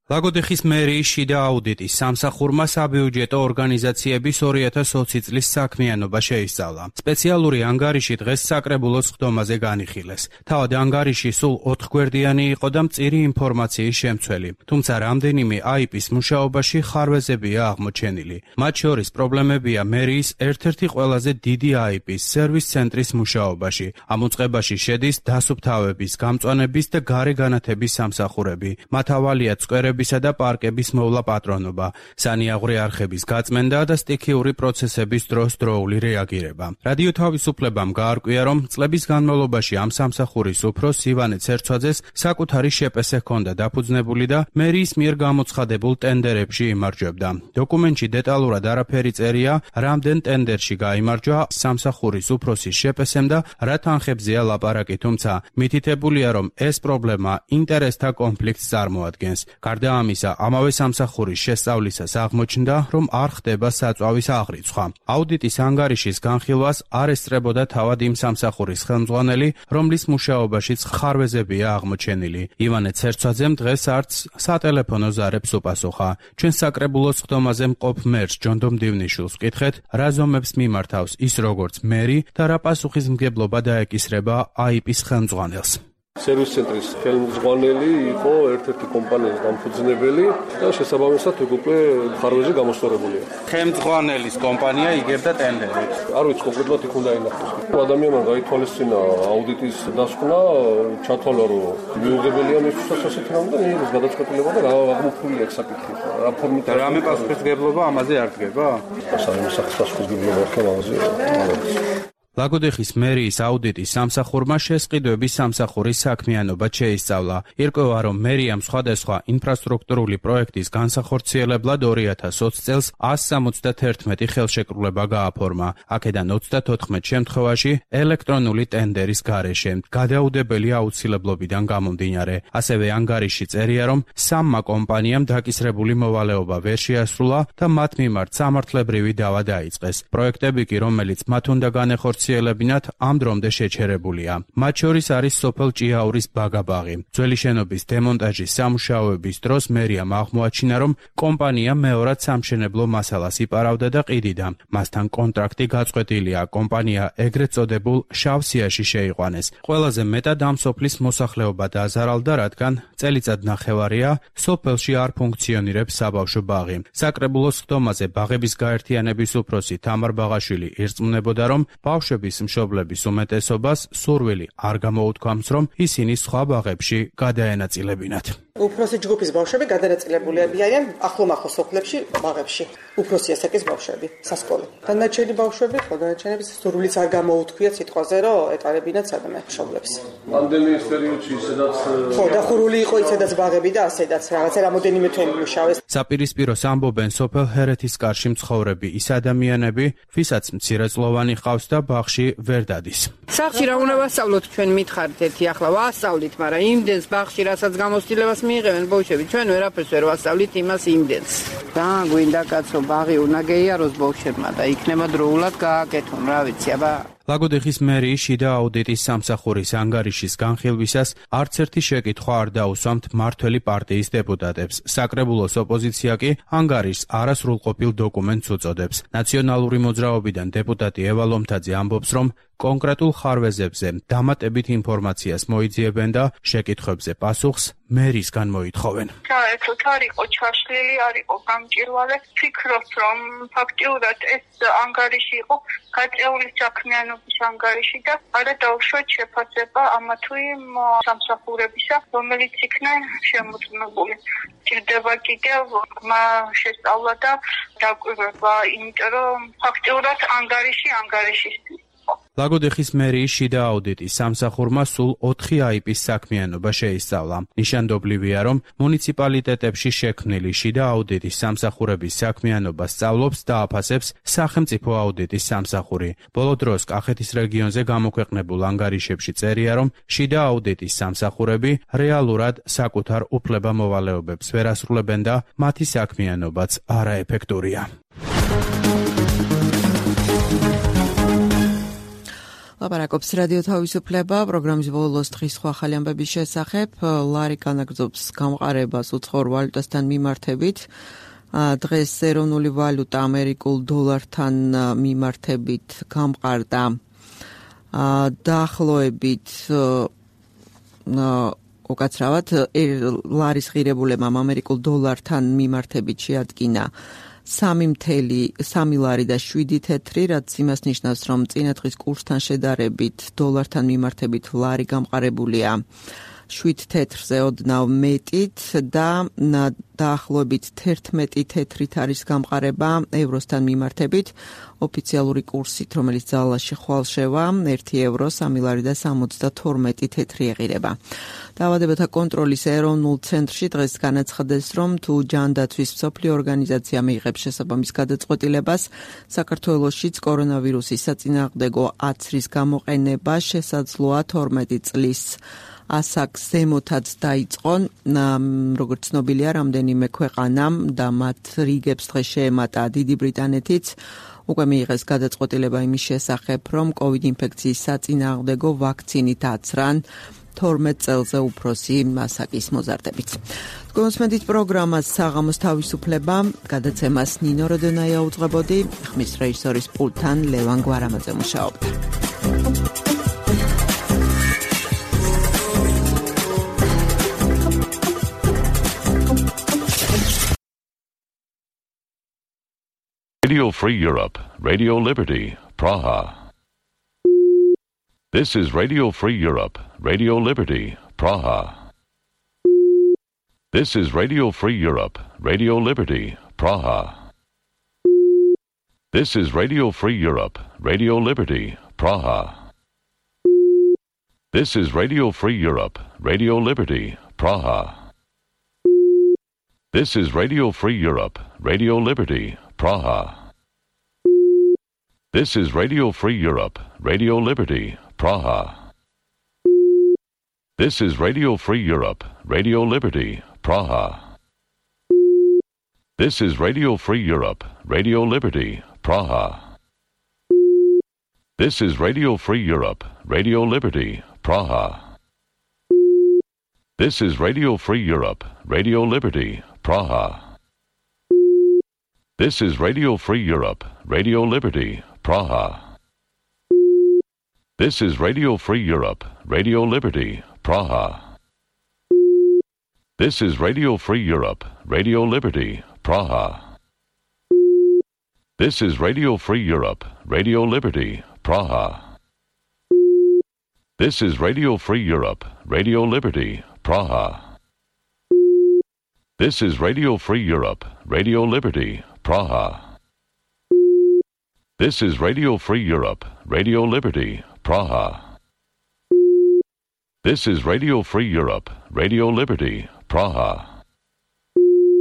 ლაგოდეხის მერიის შიდა აუდიტის სამსახურმა საბიუჯეტო ორგანიზაციების ორი ათას ოცი წლის საქმიანობა შეისწავლა. სპეციალური ანგარიში დღეს საკრებულოს ხდომაზე განიხილეს. თავად ანგარიში სულ ოთხგვერდიანი იყო და მწირი ინფორმაციის შემცველი. თუმცა რამდენიმე აიპის მუშაობაში ხარვეზებია აღმოჩენილი. მათ შორის პრობლემებია მერიის ერთ-ერთი ყველაზე დიდი აიპის სერვის ცენტრის მუშაობაში. ამ უწყებაში შედის დასუფთავების, გამწვანების და გარე განათების სამსახურები. მათ ავალია წვერები მიწებისა და პარკების მოვლა პატრონობა, სანიაღვრე არხების გაწმენდა და სტიქიური პროცესების დროს-დროული რეაგირება. რადიო თავისუფლებამ გაარკვია, რომ წლების განმავლობაში ამ სამსახურის უფროს ივანე ცერცვაძეს საკუთარი შეპესე ჰქონდა დაფუძნებული და მერიის მიერ გამოცხადებულ ტენდერებში იმარჯვებდა. დოკუმენტში დეტალურად არაფერი წერია, რამდენ ტენდერში გაიმარჯვა სამსახურის უფროსის შეპესემ და რა თანხებზეა ლაპარაკი, თუმცა მითითებულია, რომ ეს პრობლემა ინტერესთა კონფლიქტს წარმოადგენს. გარდა ამისა, ამავე სამსახურის შესწავლისას აღმოჩნდა, რომ არ ხდება საწვავის აღრიცხვა. აუდიტის ანგარიშის განხილვას არ ესწრებოდა თავად იმ სამსახურის ხელმძღვანელი, რომლის მუშაობაშიც ხარვეზებია აღმოჩენილი. ივანე ცერცვაძემ დღეს არც სატელეფონო ზარებს უპასუხა. ჩვენ საკრებულოს ხდომაზე მყოფ მერს ჯონდომ დივნიშვილს ვკითხეთ, რა ზომებს მიმართავს ის როგორც მერი და რა პასუხისმგებლობა დაეკისრება აიპის ხელმძღვანელს. სერვის ცენტრის ხელმძღვანელი იყო ერთ-ერთი კომპანიის დამფუძნებელი და შესაბამისად უკვე ხარვეზე გამოსწორებულია. ხელმძღვანელის კომპანია იგებდა ტენდერებს. არ ვიცი კონკრეტულად იქ უნდა ინახოს. ადამიანმა გაითვალისწინა აუდიტის დასკვნა, ჩათვალა რომ მიუღებელია მისთვის ასეთი რამ და მიიღეს გადაწყვეტილება და აღმოფხვრილი აქ საკითხი. რა ფორმით და რამე პასუხისმგებლობა ამაზე არ დგება? სამსახურის პასუხისმგებლობა არ ამაზე. ლაგოდეხის მერიის აუდიტის სამსახურმა შესყიდვების სამსახურის საქმიანობა შეისწავლა. ირკვევა, რომ მერიამ სხვადასხვა ინფრასტრუქტურული პროექტის განსახორციელებლად ორი ათას ოცი წელს ასი სამოცდაერთმეტი ხელშეკრულება გააფორმა. აქედან ოცდათოთხმეტ შემთხვევაში ელექტრონული ტენდერის გარეშე, გადაუდებელი აუცილებლობიდან გამომდინარე. ასევე ანგარიში წერია, რომ სამმა კომპანიამ დაკისრებული მოვალეობა ვერ შეასრულა და მათ მიმართ სამართლებრივი დავა დაიწყეს. პროექტები კი, რომელიც მათ უნდა განეხორციელებინათ, ამ დრომდე შეჩერებულია. მათ შორის არის სოფელ ჭიაურის ბაგაბაღი. ძველი შენობის დემონტაჟის სამუშაოების დროს მერიამ აღმოაჩინა, რომ კომპანია მეორად სამშენებლო მასალას იპარავდა და ყიდიდა. მასთან კონტრაქტი გაწყვეტილია, კომპანია ეგრეთ წოდებულ შავ სიაში შეიყვანეს. ყველაზე მეტად ამ სოფლის მოსახლეობა დაზარალდა, რადგან წელიწად ნახევარია სოფელში არ ფუნქციონირებს საბავშვო ბაღი. საკრებულოს ხდომაზე ბაღების გაერთიანების უფროსი თამარ ბაღაშვილი ირწმუნებოდა, რომ ბავშვები მშობლების უმეტესობას სურვილი არ გამოუთქვამს, რომ ისინი სხვა ბაღებში გადაენაწილებინათ. უფროსი ჯგუფის ბავშვები გადანაწილებულები არიან ახლომახლო სოფლებში, ბაღებში. უფროსი ასაკის ბავშვები, სასკოლო. დანარჩენი ბავშვები, გადანარჩენების სურვილიც არ გამოუთქვიათ სიტყვაზე, რომ ეტარებინათ სადმე მშობლებს. პანდემიის პერიოდში სადაც ხო, დახურული იყო ისედაც ბაღები და ასედაც რაღაცა რამოდენიმე თვე მუშავეს. საპირისპიროს ამბობენ სოფელ ჰერეთის კარში მცხოვრები ის ადამიანები, ვისაც მცირეწლოვანი ყავს და ბაღში ვერ დადის. სახში რა უნდა ვასწავლოთ ჩვენ მითხარით ერთი ახლა ვასწავლით, მაგრამ იმდენს ბაღში რასაც გამოცდილებას მიიღებენ ბავშვები, ჩვენ ვერაფერს ვერ ვასწავლით იმას იმდენს. რა გვინდა კაცო, ბაღი უნდა გეიაროს ბავშვებმა და იქნება დროულად გააკეთონ, რა ვიცი, აბა ლაგოდეხის მერიის შიდა აუდიტის სამსახურის ანგარიშის განხილვისას არც ერთი შეკითხვა არ დაუსვამთ მმართველი პარტიის დეპუტატებს. საკრებულოს ოპოზიცია კი ანგარიშს არასრულყოფილ დოკუმენტს უწოდებს. ნაციონალური მოძრაობიდან დეპუტატი ევა ლომთაძე ამბობს, რომ კონკრეტულ ხარვეზებზე დამატებით ინფორმაციას მოიძიებენ და შეკითხვებზე პასუხს მერისგან მოითხოვენ. საერთოდ არ იყო ჩაშლილი, არ იყო გამჭირვალე. ფიქრობ, რომ ფაქტიურად ეს ანგარიში იყო გაწეული საქმიანობის ანგარიში და არა დაუშვათ შეფასება ამა თუ იმ სამსახურებისა, რომელიც იქნა შემოწმებული. ჭირდება კიდევ ღრმა შესწავლა და დაკვირვება, იმიტომ რომ ფაქტიურად ანგარიში ანგარიშისთვის. ლაგოდეხის მერიის შიდა აუდიტის სამსახურმა სულ ოთხი აიპის საქმიანობა შეისწავლა. ნიშანდობლივია, რომ მუნიციპალიტეტებში შექმნილი შიდა აუდიტის სამსახურების საქმიანობა სწავლობს და აფასებს სახელმწიფო აუდიტის სამსახური. ბოლო დროს კახეთის რეგიონზე გამოქვეყნებულ ანგარიშებში წერია, რომ შიდა აუდიტის სამსახურები რეალურად საკუთარ უფლება-მოვალეობებს ვერ ასრულებენ და მათი საქმიანობაც არაეფექტურია. ლაპარაკობს რადიო თავისუფლება, პროგრამის ბოლოს დღის სხვა ახალი ამბების შესახებ. ლარი განაგრძობს გამყარებას უცხოურ ვალუტასთან მიმართებით. დღეს ეროვნული ვალუტა ამერიკულ დოლართან მიმართებით გამყარდა დაახლოებით უკაცრავად ლარის ღირებულებამ ამერიკულ დოლართან მიმართებით შეადგინა სამი მთელი სამი ლარი და შვიდი თეთრი, რაც იმას ნიშნავს, რომ წინა დღის კურსთან შედარებით დოლართან მიმართებით ლარი გამყარებულია შვიდ თეთრზე ოდნავ მეტით და დაახლოებით თერთმეტი თეთრით არის გამყარება ევროსთან მიმართებით. ოფიციალური კურსით, რომელიც ძალაში ხვალშევა, ერთი ევრო, სამი ლარი და სამოცდათორმეტი თეთრი ეღირება. დაავადებათა კონტროლის ეროვნულ ცენტრში დღეს განაცხადეს, რომ თუ ჯანდაცვის მსოფლიო ორგანიზაცია მიიღებს შესაბამის გადაწყვეტილებას, საქართველოშიც კორონავირუსის საწინააღმდეგო აცრის გამოყენება შესაძლოა თორმეტი წლის ასაკს ზემოთაც დაიწყონ. როგორც ცნობილია, რამდენიმე ქვეყანამ და მათ რიგებს დღეს შეემატა დიდი ბრიტანეთიც უკვე მიიღეს გადაწყვეტილება იმის შესახებ, რომ კოვიდ ინფექციის საწინააღმდეგო ვაქცინით აცრან თორმეტ წელზე უფროსი ასაკის მოზარდებით. გულისხმობთ პროგრამას საღამოს თავისუფლება, გადაცემას ნინო როდონაია უძღვებოდი, ხმის რეჟისორის პულტთან ლევან გვარამაძე მუშაობდა. Radio Free Europe, Radio Liberty, Praha. This is Radio Free Europe, Radio Liberty, Praha. This is Radio Free Europe, Radio Liberty, Praha. This is Radio Free Europe, Radio Liberty, Praha. This is Radio Free Europe, Radio Liberty, Praha. This is Radio Free Europe, Radio Liberty, Praha. This is Radio Free Europe, Radio Liberty, Praha. This is Radio Free Europe, Radio Liberty, Praha. This is Radio Free Europe, Radio Liberty, Praha. This is Radio Free Europe, Radio Liberty, Praha. This is Radio Free Europe, Radio Liberty, Praha. This is Radio Free Europe, Radio Liberty, Praha. This is Radio Free Europe, Radio Liberty, Praha. This is Radio Free Europe, Radio Liberty, Praha. This is Radio Free Europe, Radio Liberty, Praha. This is Radio Free Europe, Radio Liberty, Praha. This is Radio Free Europe, Radio Liberty, Praha. This is Radio Free Europe, Radio Liberty, Praha. This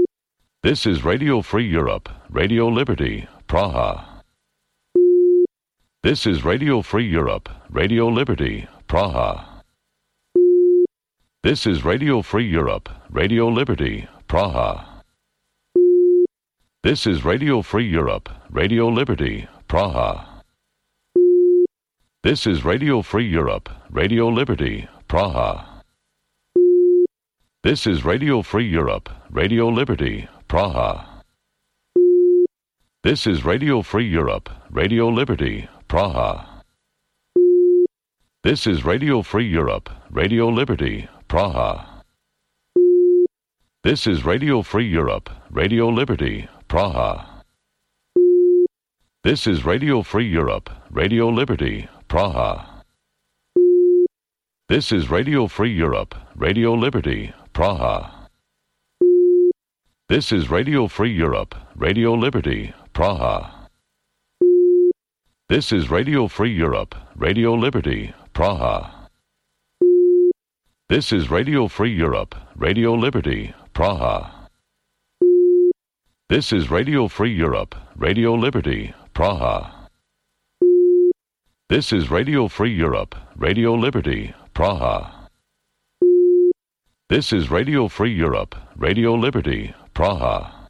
is Radio Free Europe, Radio Liberty, Praha. This is Radio Free Europe, Radio Liberty, Praha. This is Radio Free Europe, Radio Liberty, Praha. This is Radio Free Europe, Radio Liberty, Praha. This is Radio Free Europe, Radio Liberty, Praha. This is Radio Free Europe, Radio Liberty, Praha. This is Radio Free Europe, Radio Liberty, Praha. This is Radio Free Europe, Radio Liberty, Praha. This is Radio Free Europe, Radio Liberty, Praha. This is Radio Free Europe, Radio Liberty, Praha. This is Radio Free Europe, Radio Liberty, Praha. This is Radio Free Europe, Radio Liberty, Praha. This is Radio Free Europe, Radio Liberty, Praha. This is Radio Free Europe, Radio Liberty, Praha. This is Radio Free Europe, Radio Liberty, Praha. This is Radio Free Europe, Radio Liberty, Praha. This is Radio Free Europe, Radio Liberty, Praha. This is Radio Free Europe, Radio Liberty, Praha.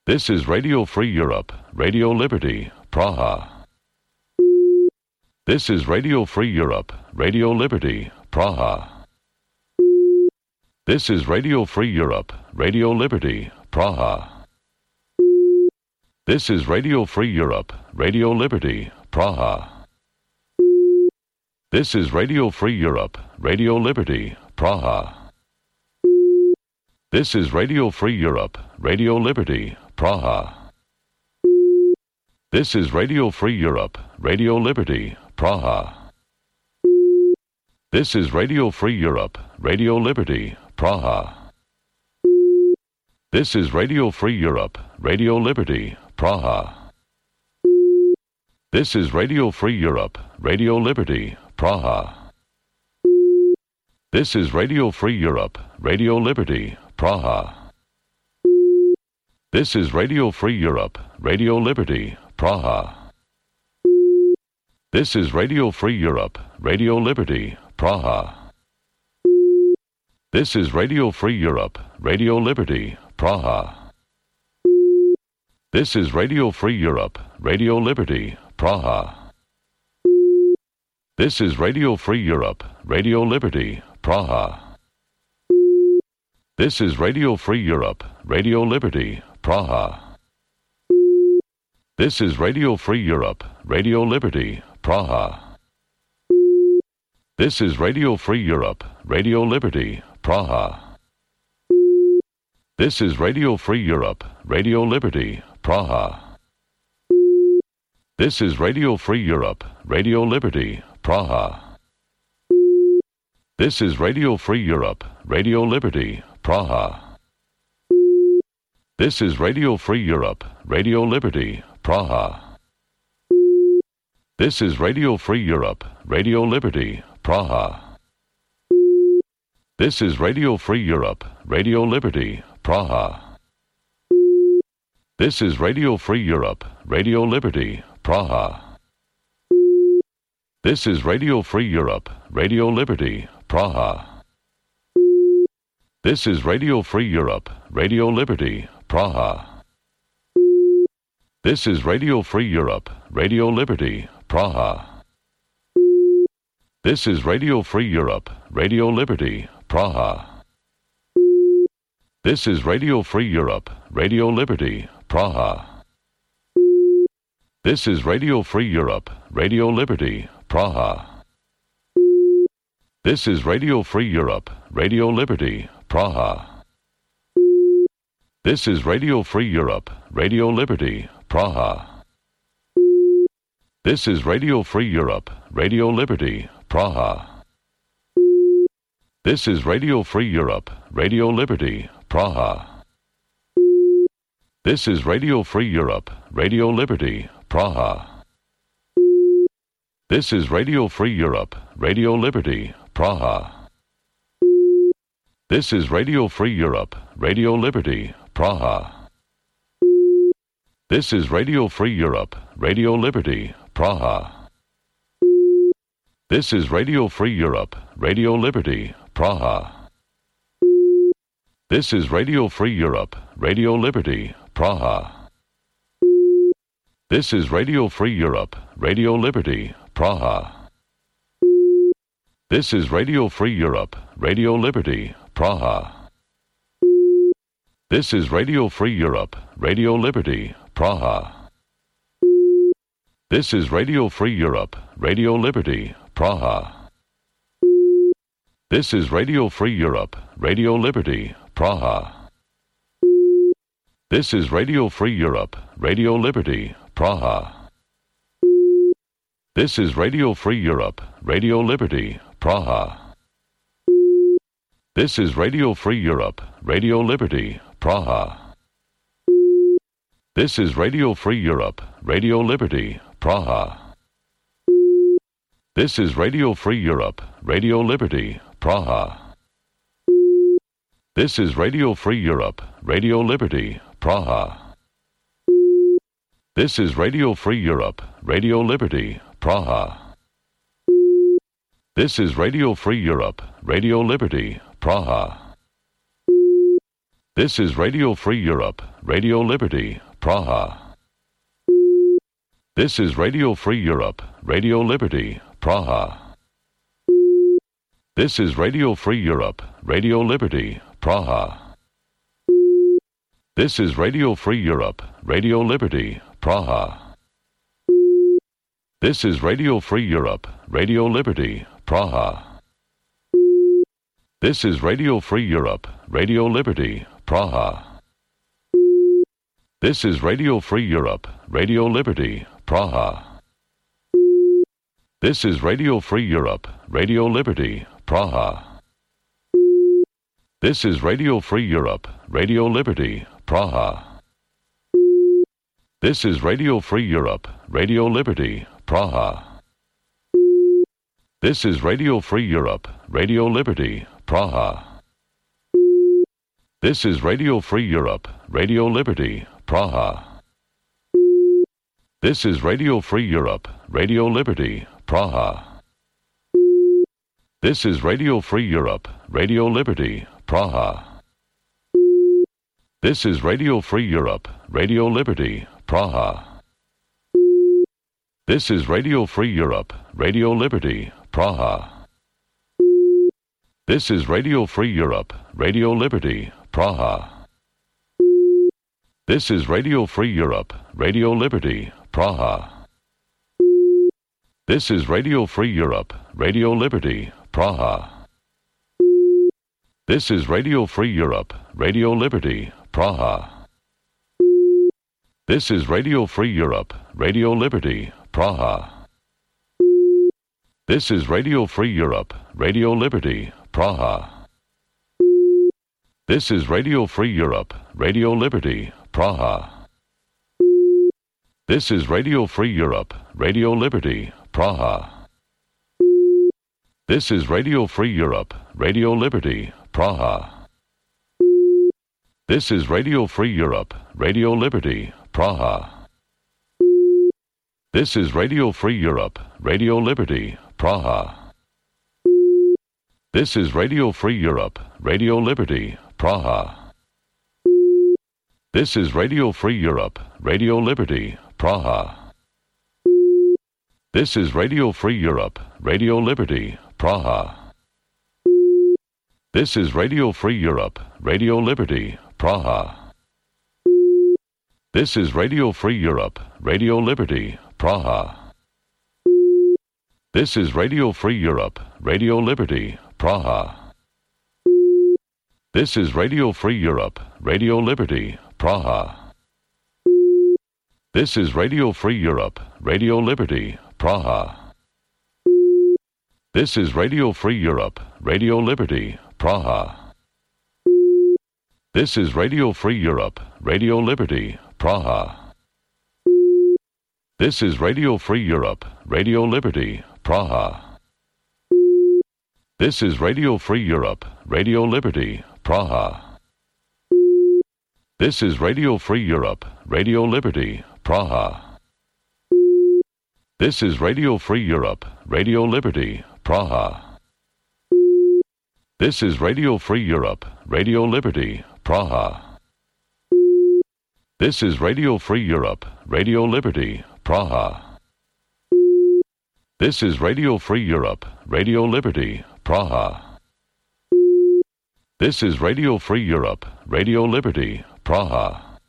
This is Radio Free Europe, Radio Liberty, Praha. This is Radio Free Europe, Radio Liberty, Praha. This is Radio Free Europe, Radio Liberty, Praha. This is Radio Free Europe, Radio Liberty, Praha. This is Radio Free Europe, Radio Liberty, Praha. This is Radio Free Europe, Radio Liberty, Praha. This is Radio Free Europe, Radio Liberty, Praha. This is Radio Free Europe, Radio Liberty, Praha. This is Radio Free Europe, Radio Liberty, Praha. This is Radio Free Europe, Radio Liberty, Praha. This is Radio Free Europe, Radio Liberty, Praha. This is Radio Free Europe, Radio Liberty, Praha. This is Radio Free Europe, Radio Liberty, Praha. This is Radio Free Europe, Radio Liberty, Praha. This is Radio Free Europe, Radio Liberty, Praha. This is Radio Free Europe, Radio Liberty, Praha. This is Radio Free Europe, Radio Liberty, Praha. This is Radio Free Europe, Radio Liberty, Praha. This is Radio Free Europe, Radio Liberty, Praha. This is Radio Free Europe, Radio Liberty, Praha. This is Radio Free Europe, Radio Liberty, Praha. This is Radio Free Europe, Radio Liberty, Praha. This is Radio Free Europe, Radio Liberty, Praha. This is Radio Free Europe, Radio Liberty, Praha. This is Radio Free Europe, Radio Liberty, Praha. This is Radio Free Europe, Radio Liberty, Praha. This is Radio Free Europe, Radio Liberty, Praha. This is Radio Free Europe, Radio Liberty, Praha. This is Radio Free Europe, Radio Liberty, Praha. This is Radio Free Europe, Radio Liberty, Praha. This is Radio Free Europe, Radio Liberty, Praha. This is Radio Free Europe, Radio Liberty, Praha. This is Radio Free Europe, Radio Liberty, Praha. This is Radio Free Europe, Radio Liberty, Praha. This is Radio Free Europe, Radio Liberty, Praha. This is Radio Free Europe, Radio Liberty, Praha. This is Radio Free Europe, Radio Liberty, Praha. This is Radio Free Europe, Radio Liberty, Praha. This is Radio Free Europe, Radio Liberty, Praha. This is Radio Free Europe, Radio Liberty, Praha. This is Radio Free Europe, Radio Liberty, Praha. This is Radio Free Europe, Radio Liberty, Praha. This is Radio Free Europe, Radio Liberty, Praha. This is Radio Free Europe, Radio Liberty, Praha. This is Radio Free Europe, Radio Liberty, Praha. This is Radio Free Europe, Radio Liberty, Praha. This is Radio Free Europe, Radio Liberty, Praha. This is Radio Free Europe, Radio Liberty, Praha. This is Radio Free Europe, Radio Liberty, Praha. This is Radio Free Europe, Radio Liberty, Praha. This is Radio Free Europe, Radio Liberty, Praha. This is Radio Free Europe, Radio Liberty, Praha. This is Radio Free Europe, Radio Liberty, Praha. This is Radio Free Europe, Radio Liberty, Praha. This is Radio Free Europe, Radio Liberty, Praha. This is Radio Free Europe, Radio Liberty, Praha. This is Radio Free Europe, Radio Liberty, Praha. This is Radio Free Europe, Radio Liberty, Praha. This is Radio Free Europe, Radio Liberty, Praha. This is Radio Free Europe, Radio Liberty, Praha. This is Radio Free Europe, Radio Liberty, Praha. This is Radio Free Europe, Radio Liberty, Praha. This is Radio Free Europe, Radio Liberty, Praha. This is Radio Free Europe, Radio Liberty, Praha. This is Radio Free Europe, Radio Liberty, Praha. This is Radio Free Europe, Radio Liberty, Praha. This is Radio Free Europe, Radio Liberty, Praha. This is Radio Free Europe, Radio Liberty, Praha. This is Radio Free Europe, Radio Liberty, Praha. This is Radio Free Europe, Radio Liberty, Praha. This is Radio Free Europe, Radio Liberty, Praha. This is Radio Free Europe, Radio Liberty, Praha. This is Radio Free Europe, Radio Liberty, Praha. This is Radio Free Europe, Radio Liberty, Praha. This is Radio Free Europe, Radio Liberty, Praha. This is Radio Free Europe, Radio Liberty, Praha. This is Radio Free Europe, Radio Liberty, Praha. This is Radio Free Europe, Radio Liberty, Praha. This is Radio Free Europe, Radio Liberty, Praha. This is Radio Free Europe, Radio Liberty, Praha. This is Radio Free Europe, Radio Liberty, Praha. This is Radio Free Europe, Radio Liberty, Praha. This is Radio Free Europe, Radio Liberty, Praha. This is Radio Free Europe, Radio Liberty, Praha. This is Radio Free Europe, Radio Liberty, Praha. This is Radio Free Europe, Radio Liberty, Praha. This is Radio Free Europe, Radio Liberty, Praha. This is Radio Free Europe, Radio Liberty, Praha. This is Radio Free Europe, Radio Liberty, Praha. This is Radio Free Europe, Radio Liberty, Praha. This is Radio Free Europe, Radio Liberty, Praha. This is Radio Free Europe, Radio Liberty, Praha. This is Radio Free Europe, Radio Liberty, Praha. This is Radio Free Europe, Radio Liberty, Praha. This is Radio Free Europe, Radio Liberty, Praha. This is Radio Free Europe, Radio Liberty, Praha. This is Radio Free Europe, Radio Liberty, Praha. This is Radio Free Europe, Radio Liberty, Praha. This is Radio Free Europe, Radio Liberty, Praha. This is Radio Free Europe, Radio Liberty, Praha.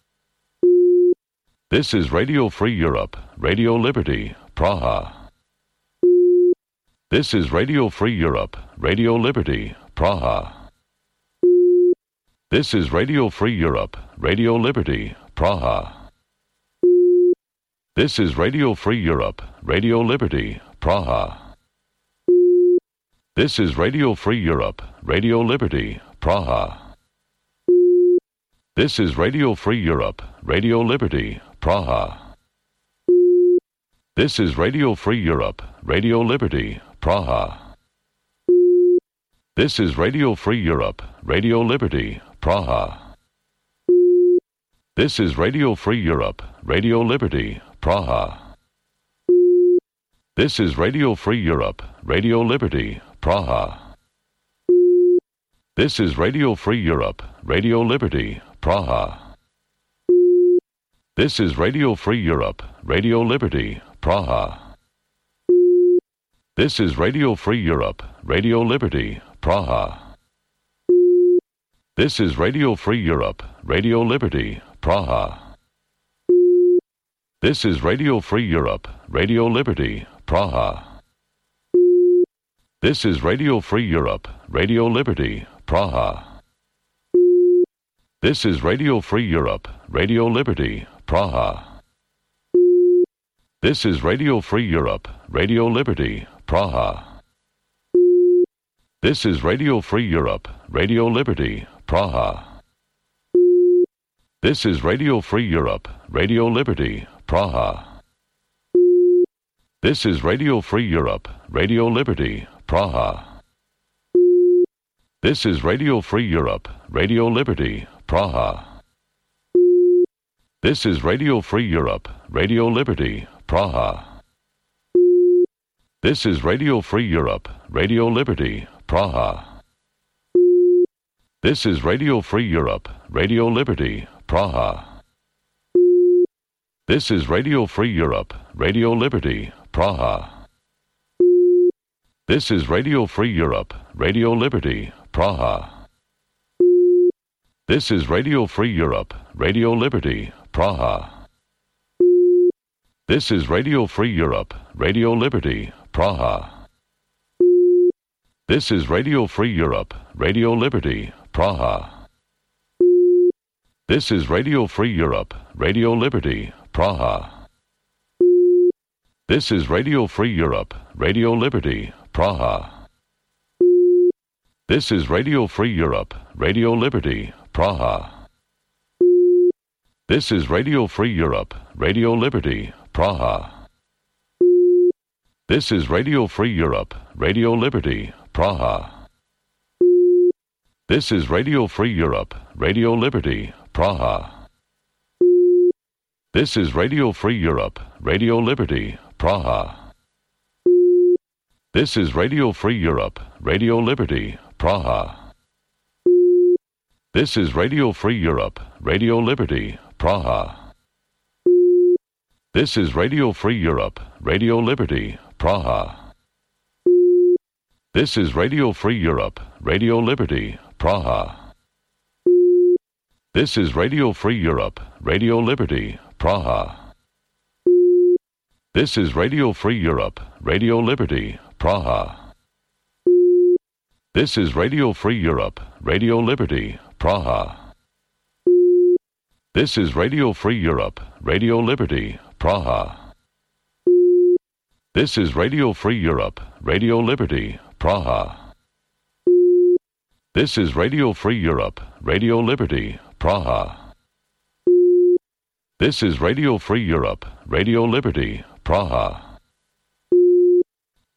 This is Radio Free Europe, Radio Liberty, Praha. This is Radio Free Europe, Radio Liberty, Praha. This is Radio Free Europe, Radio Liberty, Praha. This is Radio Free Europe, Radio Liberty, Praha. This is Radio Free Europe, Radio Liberty, Praha. This is Radio Free Europe, Radio Liberty, Praha. This is Radio Free Europe, Radio Liberty, Praha. This is Radio Free Europe, Radio Liberty, Praha. This is Radio Free Europe, Radio Liberty, Praha. This is Radio Free Europe, Radio Liberty, Praha. This is Radio Free Europe, Radio Liberty, Praha. This is Radio Free Europe, Radio Liberty, Praha. This is Radio Free Europe, Radio Liberty, Praha. This is Radio Free Europe, Radio Liberty, Praha. This is Radio Free Europe, Radio Liberty, Praha. This is Radio Free Europe, Radio Liberty, Praha. This is Radio Free Europe, Radio Liberty, Praha. This is Radio Free Europe, Radio Liberty, Praha. This is Radio Free Europe, Radio Liberty, Praha. This is Radio Free Europe, Radio Liberty, Praha. This is Radio Free Europe, Radio Liberty, Praha. This is Radio Free Europe, Radio Liberty, Praha. This is Radio Free Europe, Radio Liberty, Praha. This is Radio Free Europe, Radio Liberty, Praha. This is Radio Free Europe, Radio Liberty, Praha. This is Radio Free Europe, Radio Liberty, Praha. This is Radio Free Europe, Radio Liberty, Praha. This is Radio Free Europe, Radio Liberty, Praha. This is Radio Free Europe, Radio Liberty, Praha. This is Radio Free Europe, Radio Liberty, Praha. This is Radio Free Europe, Radio Liberty, Praha. This is Radio Free Europe, Radio Liberty, Praha. This is Radio Free Europe, Radio Liberty, Praha. This is Radio Free Europe, Radio Liberty, Praha. This is Radio Free Europe, Radio Liberty, Praha. This is Radio Free Europe, Radio Liberty, Praha. This is Radio Free Europe, Radio Liberty, Praha. This is Radio Free Europe, Radio Liberty, Praha. This is Radio Free Europe, Radio Liberty, Praha. This is Radio Free Europe, Radio Liberty, Praha. This is Radio Free Europe, Radio Liberty, Praha. This is Radio Free Europe, Radio Liberty, Praha. This is Radio Free Europe, Radio Liberty, Praha. This is Radio Free Europe, Radio Liberty, Praha. This is Radio Free Europe, Radio Liberty, Praha. This is Radio Free Europe, Radio Liberty, Praha. This is Radio Free Europe, Radio Liberty, Praha. This is Radio Free Europe, Radio Liberty, Praha.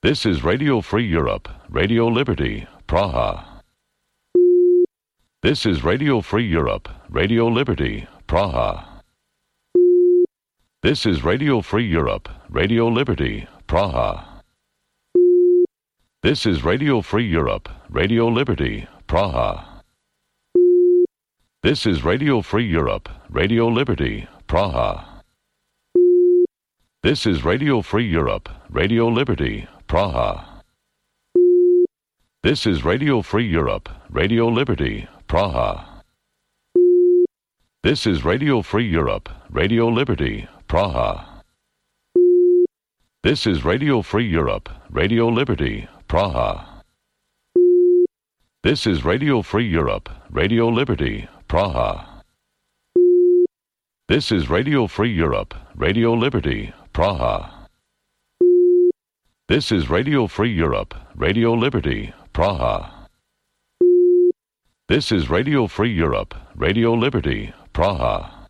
This is Radio Free Europe, Radio Liberty, Praha. This is Radio Free Europe, Radio Liberty, Praha. This is Radio Free Europe, Radio Liberty, Praha. This is Radio Free Europe, Radio Liberty, Praha. This is Radio Free Europe, Radio Liberty, Praha. This is Radio Free Europe, Radio Liberty, Praha. This is Radio Free Europe, Radio Liberty, Praha. This is Radio Free Europe, Radio Liberty, Praha. This is Radio Free Europe, Radio Liberty, Praha. This is Radio Free Europe, Radio Liberty, Praha. This is Radio Free Europe, Radio Liberty, Praha. This is Radio Free Europe, Radio Liberty, Praha. This is Radio Free Europe, Radio Liberty, Praha.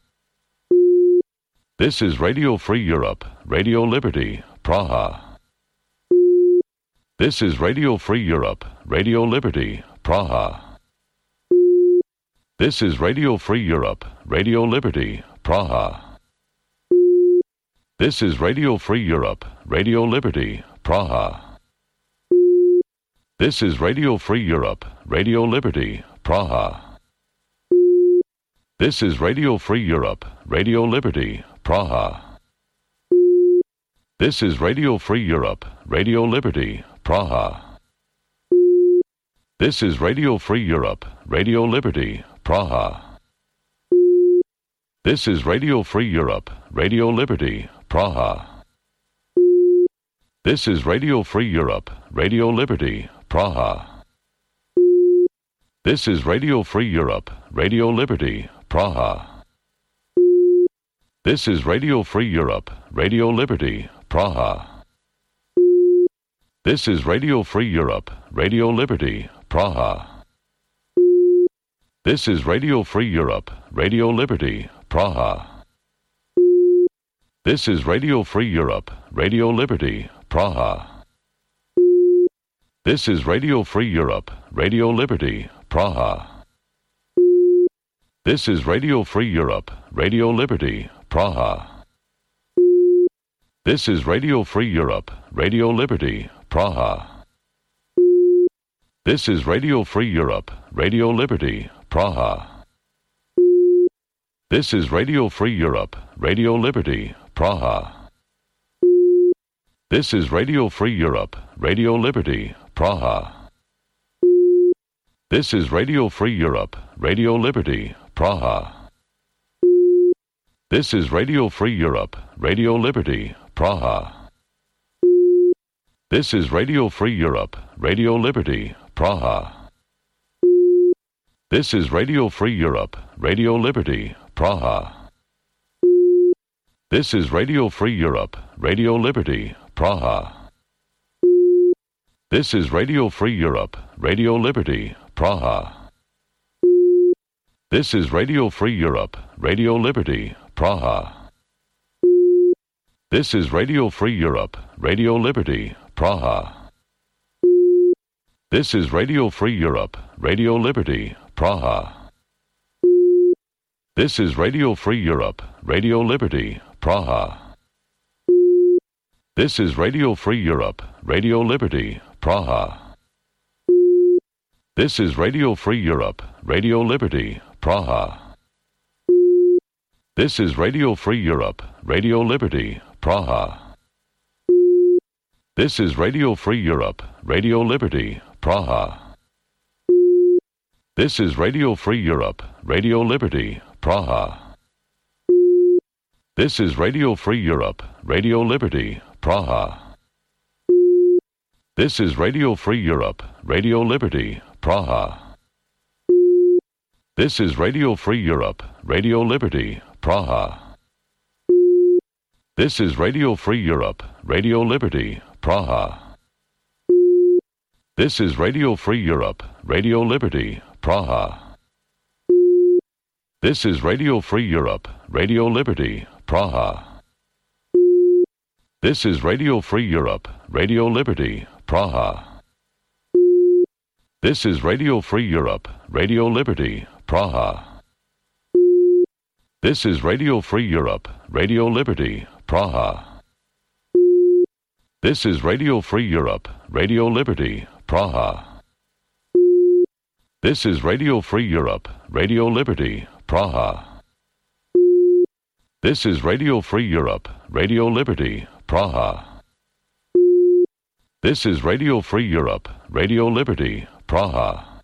This is Radio Free Europe, Radio Liberty, Praha. This is Radio Free Europe, Radio Liberty, Praha. This is Radio Free Europe, Radio Liberty, Praha. This is Radio Free Europe, Radio Liberty, Praha. This is Radio Free Europe, Radio Liberty, Praha. This is Radio Free Europe, Radio Liberty, Praha. This is Radio Free Europe, Radio Liberty, Praha. This is Radio Free Europe, Radio Liberty, Praha. This is Radio Free Europe, Radio Liberty, Praha. This is Radio Free Europe, Radio Liberty, Praha. This is Radio Free Europe, Radio Liberty, Praha. This is Radio Free Europe, Radio Liberty, Praha. This is Radio Free Europe, Radio Liberty, Praha. This is Radio Free Europe, Radio Liberty, Praha. This is Radio Free Europe, Radio Liberty, Praha. This is Radio Free Europe, Radio Liberty, Praha. This is Radio Free Europe, Radio Liberty, Praha. This is Radio Free Europe, Radio Liberty, Praha. This is Radio Free Europe, Radio Liberty, Praha. This is Radio Free Europe, Radio Liberty, Praha. This is Radio Free Europe, Radio Liberty, Praha. This is Radio Free Europe, Radio Liberty, Praha. This is Radio Free Europe, Radio Liberty, Praha. This is Radio Free Europe, Radio Liberty, Praha. This is Radio Free Europe, Radio Liberty, Praha. This is Radio Free Europe, Radio Liberty, Praha. This is Radio Free Europe, Radio Liberty, Praha. This is Radio Free Europe, Radio Liberty, Praha. This is Radio Free Europe, Radio Liberty, Praha. This is Radio Free Europe, Radio Liberty, Praha. This is Radio Free Europe, Radio Liberty, Praha. This is Radio Free Europe, Radio Liberty, Praha. This is Radio Free Europe, Radio Liberty, Praha. This is Radio Free Europe, Radio Liberty, Praha. This is Radio Free Europe, Radio Liberty, Praha. This is Radio Free Europe, Radio Liberty, Praha. This is Radio Free Europe, Radio Liberty, Praha. This is Radio Free Europe, Radio Liberty, Praha. This is Radio Free Europe, Radio Liberty, Praha. This is Radio Free Europe, Radio Liberty, Praha. This is Radio Free Europe, Radio Liberty, Praha. This is Radio Free Europe, Radio Liberty, Praha. This is Radio Free Europe, Radio Liberty, Praha. This is Radio Free Europe, Radio Liberty, Praha. This is Radio Free Europe, Radio Liberty, Praha. This is Radio Free Europe, Radio Liberty, Praha. This is Radio Free Europe, Radio Liberty, Praha. This is Radio Free Europe, Radio Liberty, Praha. This is Radio Free Europe, Radio Liberty, Praha.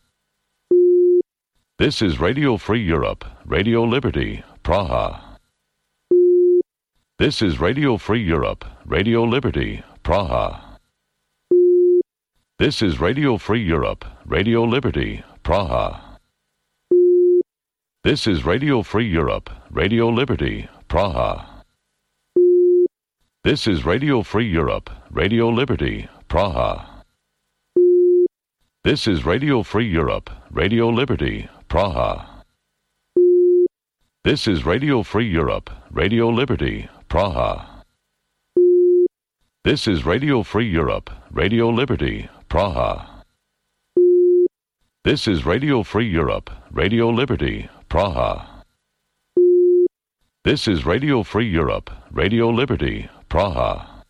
This is Radio Free Europe, Radio Liberty, Praha. This is Radio Free Europe, Radio Liberty, Praha. This is Radio Free Europe, Radio Liberty, Praha. This is Radio Free Europe, Radio Liberty, Praha. This is Radio Free Europe, Radio Liberty, Praha. This is Radio Free Europe, Radio Liberty, Praha. This is Radio Free Europe, Radio Liberty, Praha. This is Radio Free Europe, Radio Liberty, Praha. This is Radio Free Europe, Radio Liberty, Praha. This is Radio Free Europe, Radio Liberty, Praha.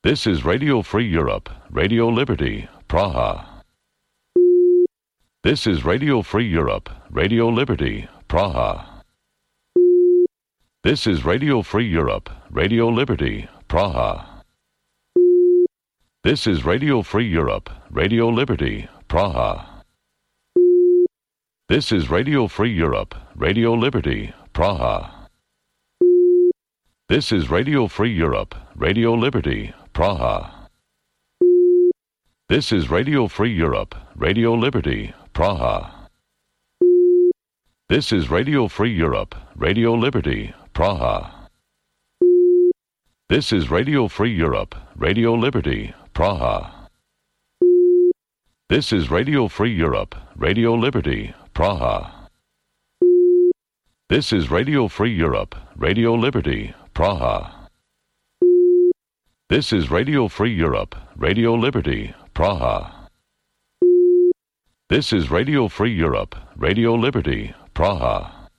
This is Radio Free Europe, Radio Liberty, Praha. This is Radio Free Europe, Radio Liberty, Praha. This is Radio Free Europe, Radio Liberty, Praha. This is Radio Free Europe, Radio Liberty, Praha. This is Radio Free Europe, Radio Liberty, Praha. This is Radio Free Europe, Radio Liberty, Praha. This is Radio Free Europe, Radio Liberty, Praha. This is Radio Free Europe, Radio Liberty, Praha. This is Radio Free Europe, Radio Liberty, Praha. This is Radio Free Europe, Radio Liberty, Praha. This is Radio Free Europe, Radio Liberty, Praha. This is Radio Free Europe, Radio Liberty, Praha. This is Radio Free Europe, Radio Liberty, Praha.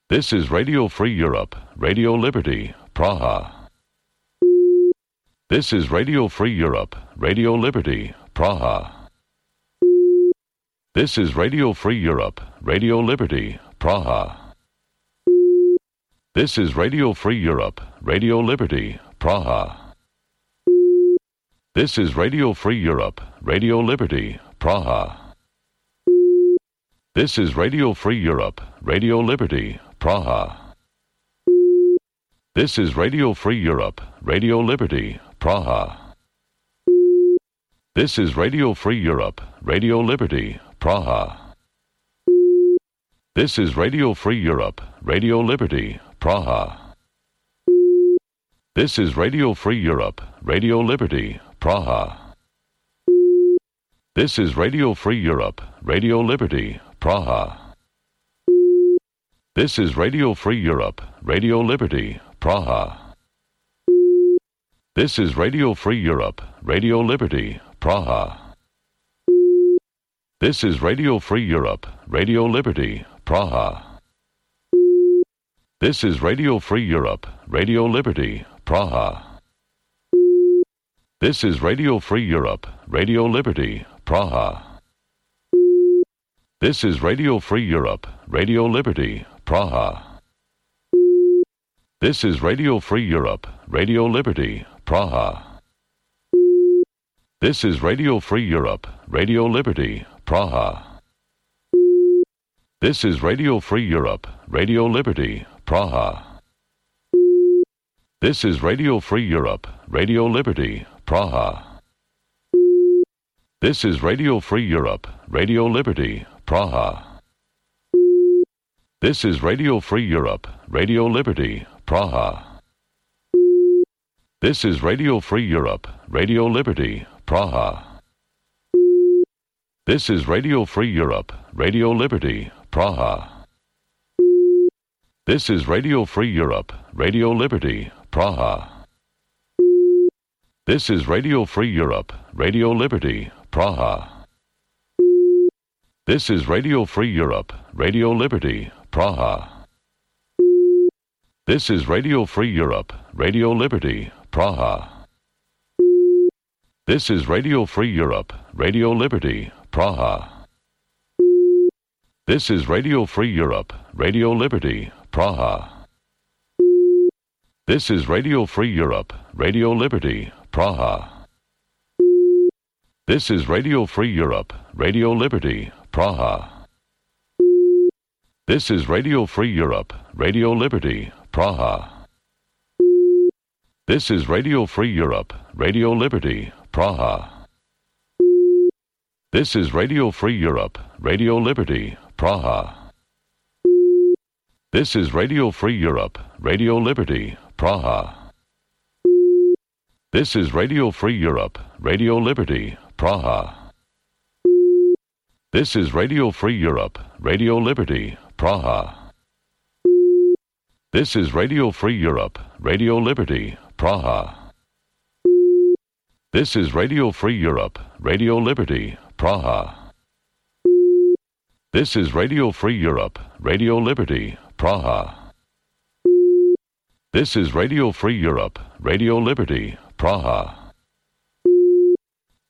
This is Radio Free Europe, Radio Liberty, Praha. This is Radio Free Europe, Radio Liberty, Praha. This is Radio Free Europe, Radio Liberty, Praha. This is Radio Free Europe, Radio Liberty, Praha. This is Radio Free Europe, Radio Liberty, Praha. This is Radio Free Europe, Radio Liberty, Praha. This is Radio Free Europe, Radio Liberty, Praha. This is Radio Free Europe, Radio Liberty, Praha. This is Radio Free Europe, Radio Liberty, Praha. This is Radio Free Europe, Radio Liberty, Praha. This is Radio Free Europe, Radio Liberty, Praha. This is Radio Free Europe, Radio Liberty, Praha. This is Radio Free Europe, Radio Liberty, Praha. This is Radio Free Europe, Radio Liberty, Praha. This is Radio Free Europe, Radio Liberty, Praha. This is Radio Free Europe, Radio Liberty, Praha. This is Radio Free Europe, Radio Liberty, Praha. This is Radio Free Europe, Radio Liberty, Praha. This is Radio Free Europe, Radio Liberty, Praha. This is Radio Free Europe, Radio Liberty, Praha. This is Radio Free Europe, Radio Liberty, Praha. This is Radio Free Europe, Radio Liberty, Praha. This is Radio Free Europe, Radio Liberty, Praha. This is Radio Free Europe, Radio Liberty, Praha. This is Radio Free Europe, Radio Liberty, Praha. This is Radio Free Europe, Radio Liberty, Praha. This is Radio Free Europe, Radio Liberty, Praha. This is Radio Free Europe, Radio Liberty, Praha. This is Radio Free Europe, Radio Liberty, Praha. This is Radio Free Europe, Radio Liberty, Praha. This is Radio Free Europe, Radio Liberty, Praha. This is Radio Free Europe, Radio Liberty, Praha. This is Radio Free Europe, Radio Liberty, Praha. This is Radio Free Europe, Radio Liberty, Praha. This is Radio Free Europe, Radio Liberty, Praha. This is Radio Free Europe, Radio Liberty, Praha. This is Radio Free Europe, Radio Liberty, Praha. This is Radio Free Europe, Radio Liberty, Praha. This is Radio Free Europe, Radio Liberty, Praha. This is Radio Free Europe, Radio Liberty, Praha. This is Radio Free Europe, Radio Liberty, Praha. This is Radio Free Europe, Radio Liberty, Praha. This is Radio Free Europe, Radio Liberty, Praha.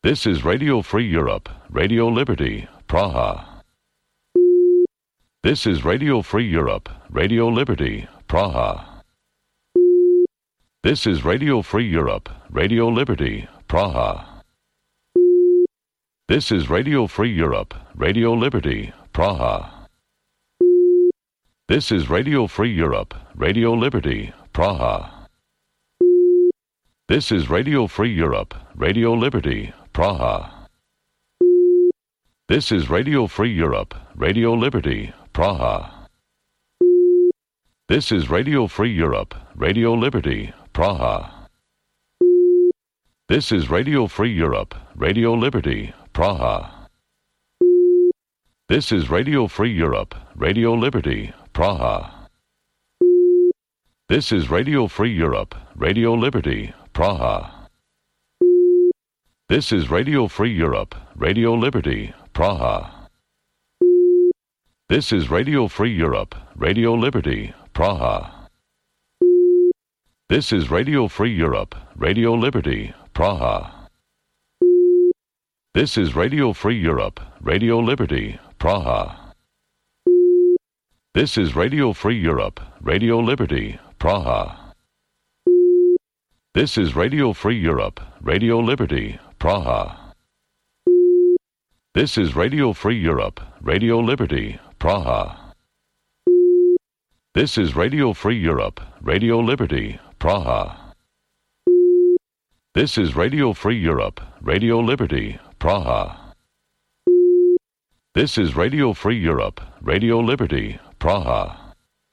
This is Radio Free Europe, Radio Liberty, Praha. This is Radio Free Europe, Radio Liberty, Praha. This is Radio Free Europe, Radio Liberty, Praha. This is Radio Free Europe, Radio Liberty, Praha. This is Radio Free Europe, Radio Liberty, Praha. This is Radio Free Europe, Radio Liberty, Praha. This is Radio Free Europe, Radio Liberty, Praha. This is Radio Free Europe, Radio Liberty, Praha. This is Radio Free Europe, Radio Liberty, Praha. This is Radio Free Europe, Radio Liberty, Praha. This is Radio Free Europe, Radio Liberty, Praha. This is Radio Free Europe, Radio Liberty, Praha. This is Radio Free Europe, Radio Liberty, Praha. This is Radio Free Europe, Radio Liberty, Praha. This is Radio Free Europe, Radio Liberty, Praha. This is Radio Free Europe, Radio Liberty, Praha. This is Radio Free Europe, Radio Liberty, Praha. This is Radio Free Europe, Radio Liberty, Praha. This is Radio Free Europe, Radio Liberty, Praha. This is Radio Free Europe, Radio Liberty, Praha. This is Radio Free Europe, Radio Liberty, Praha.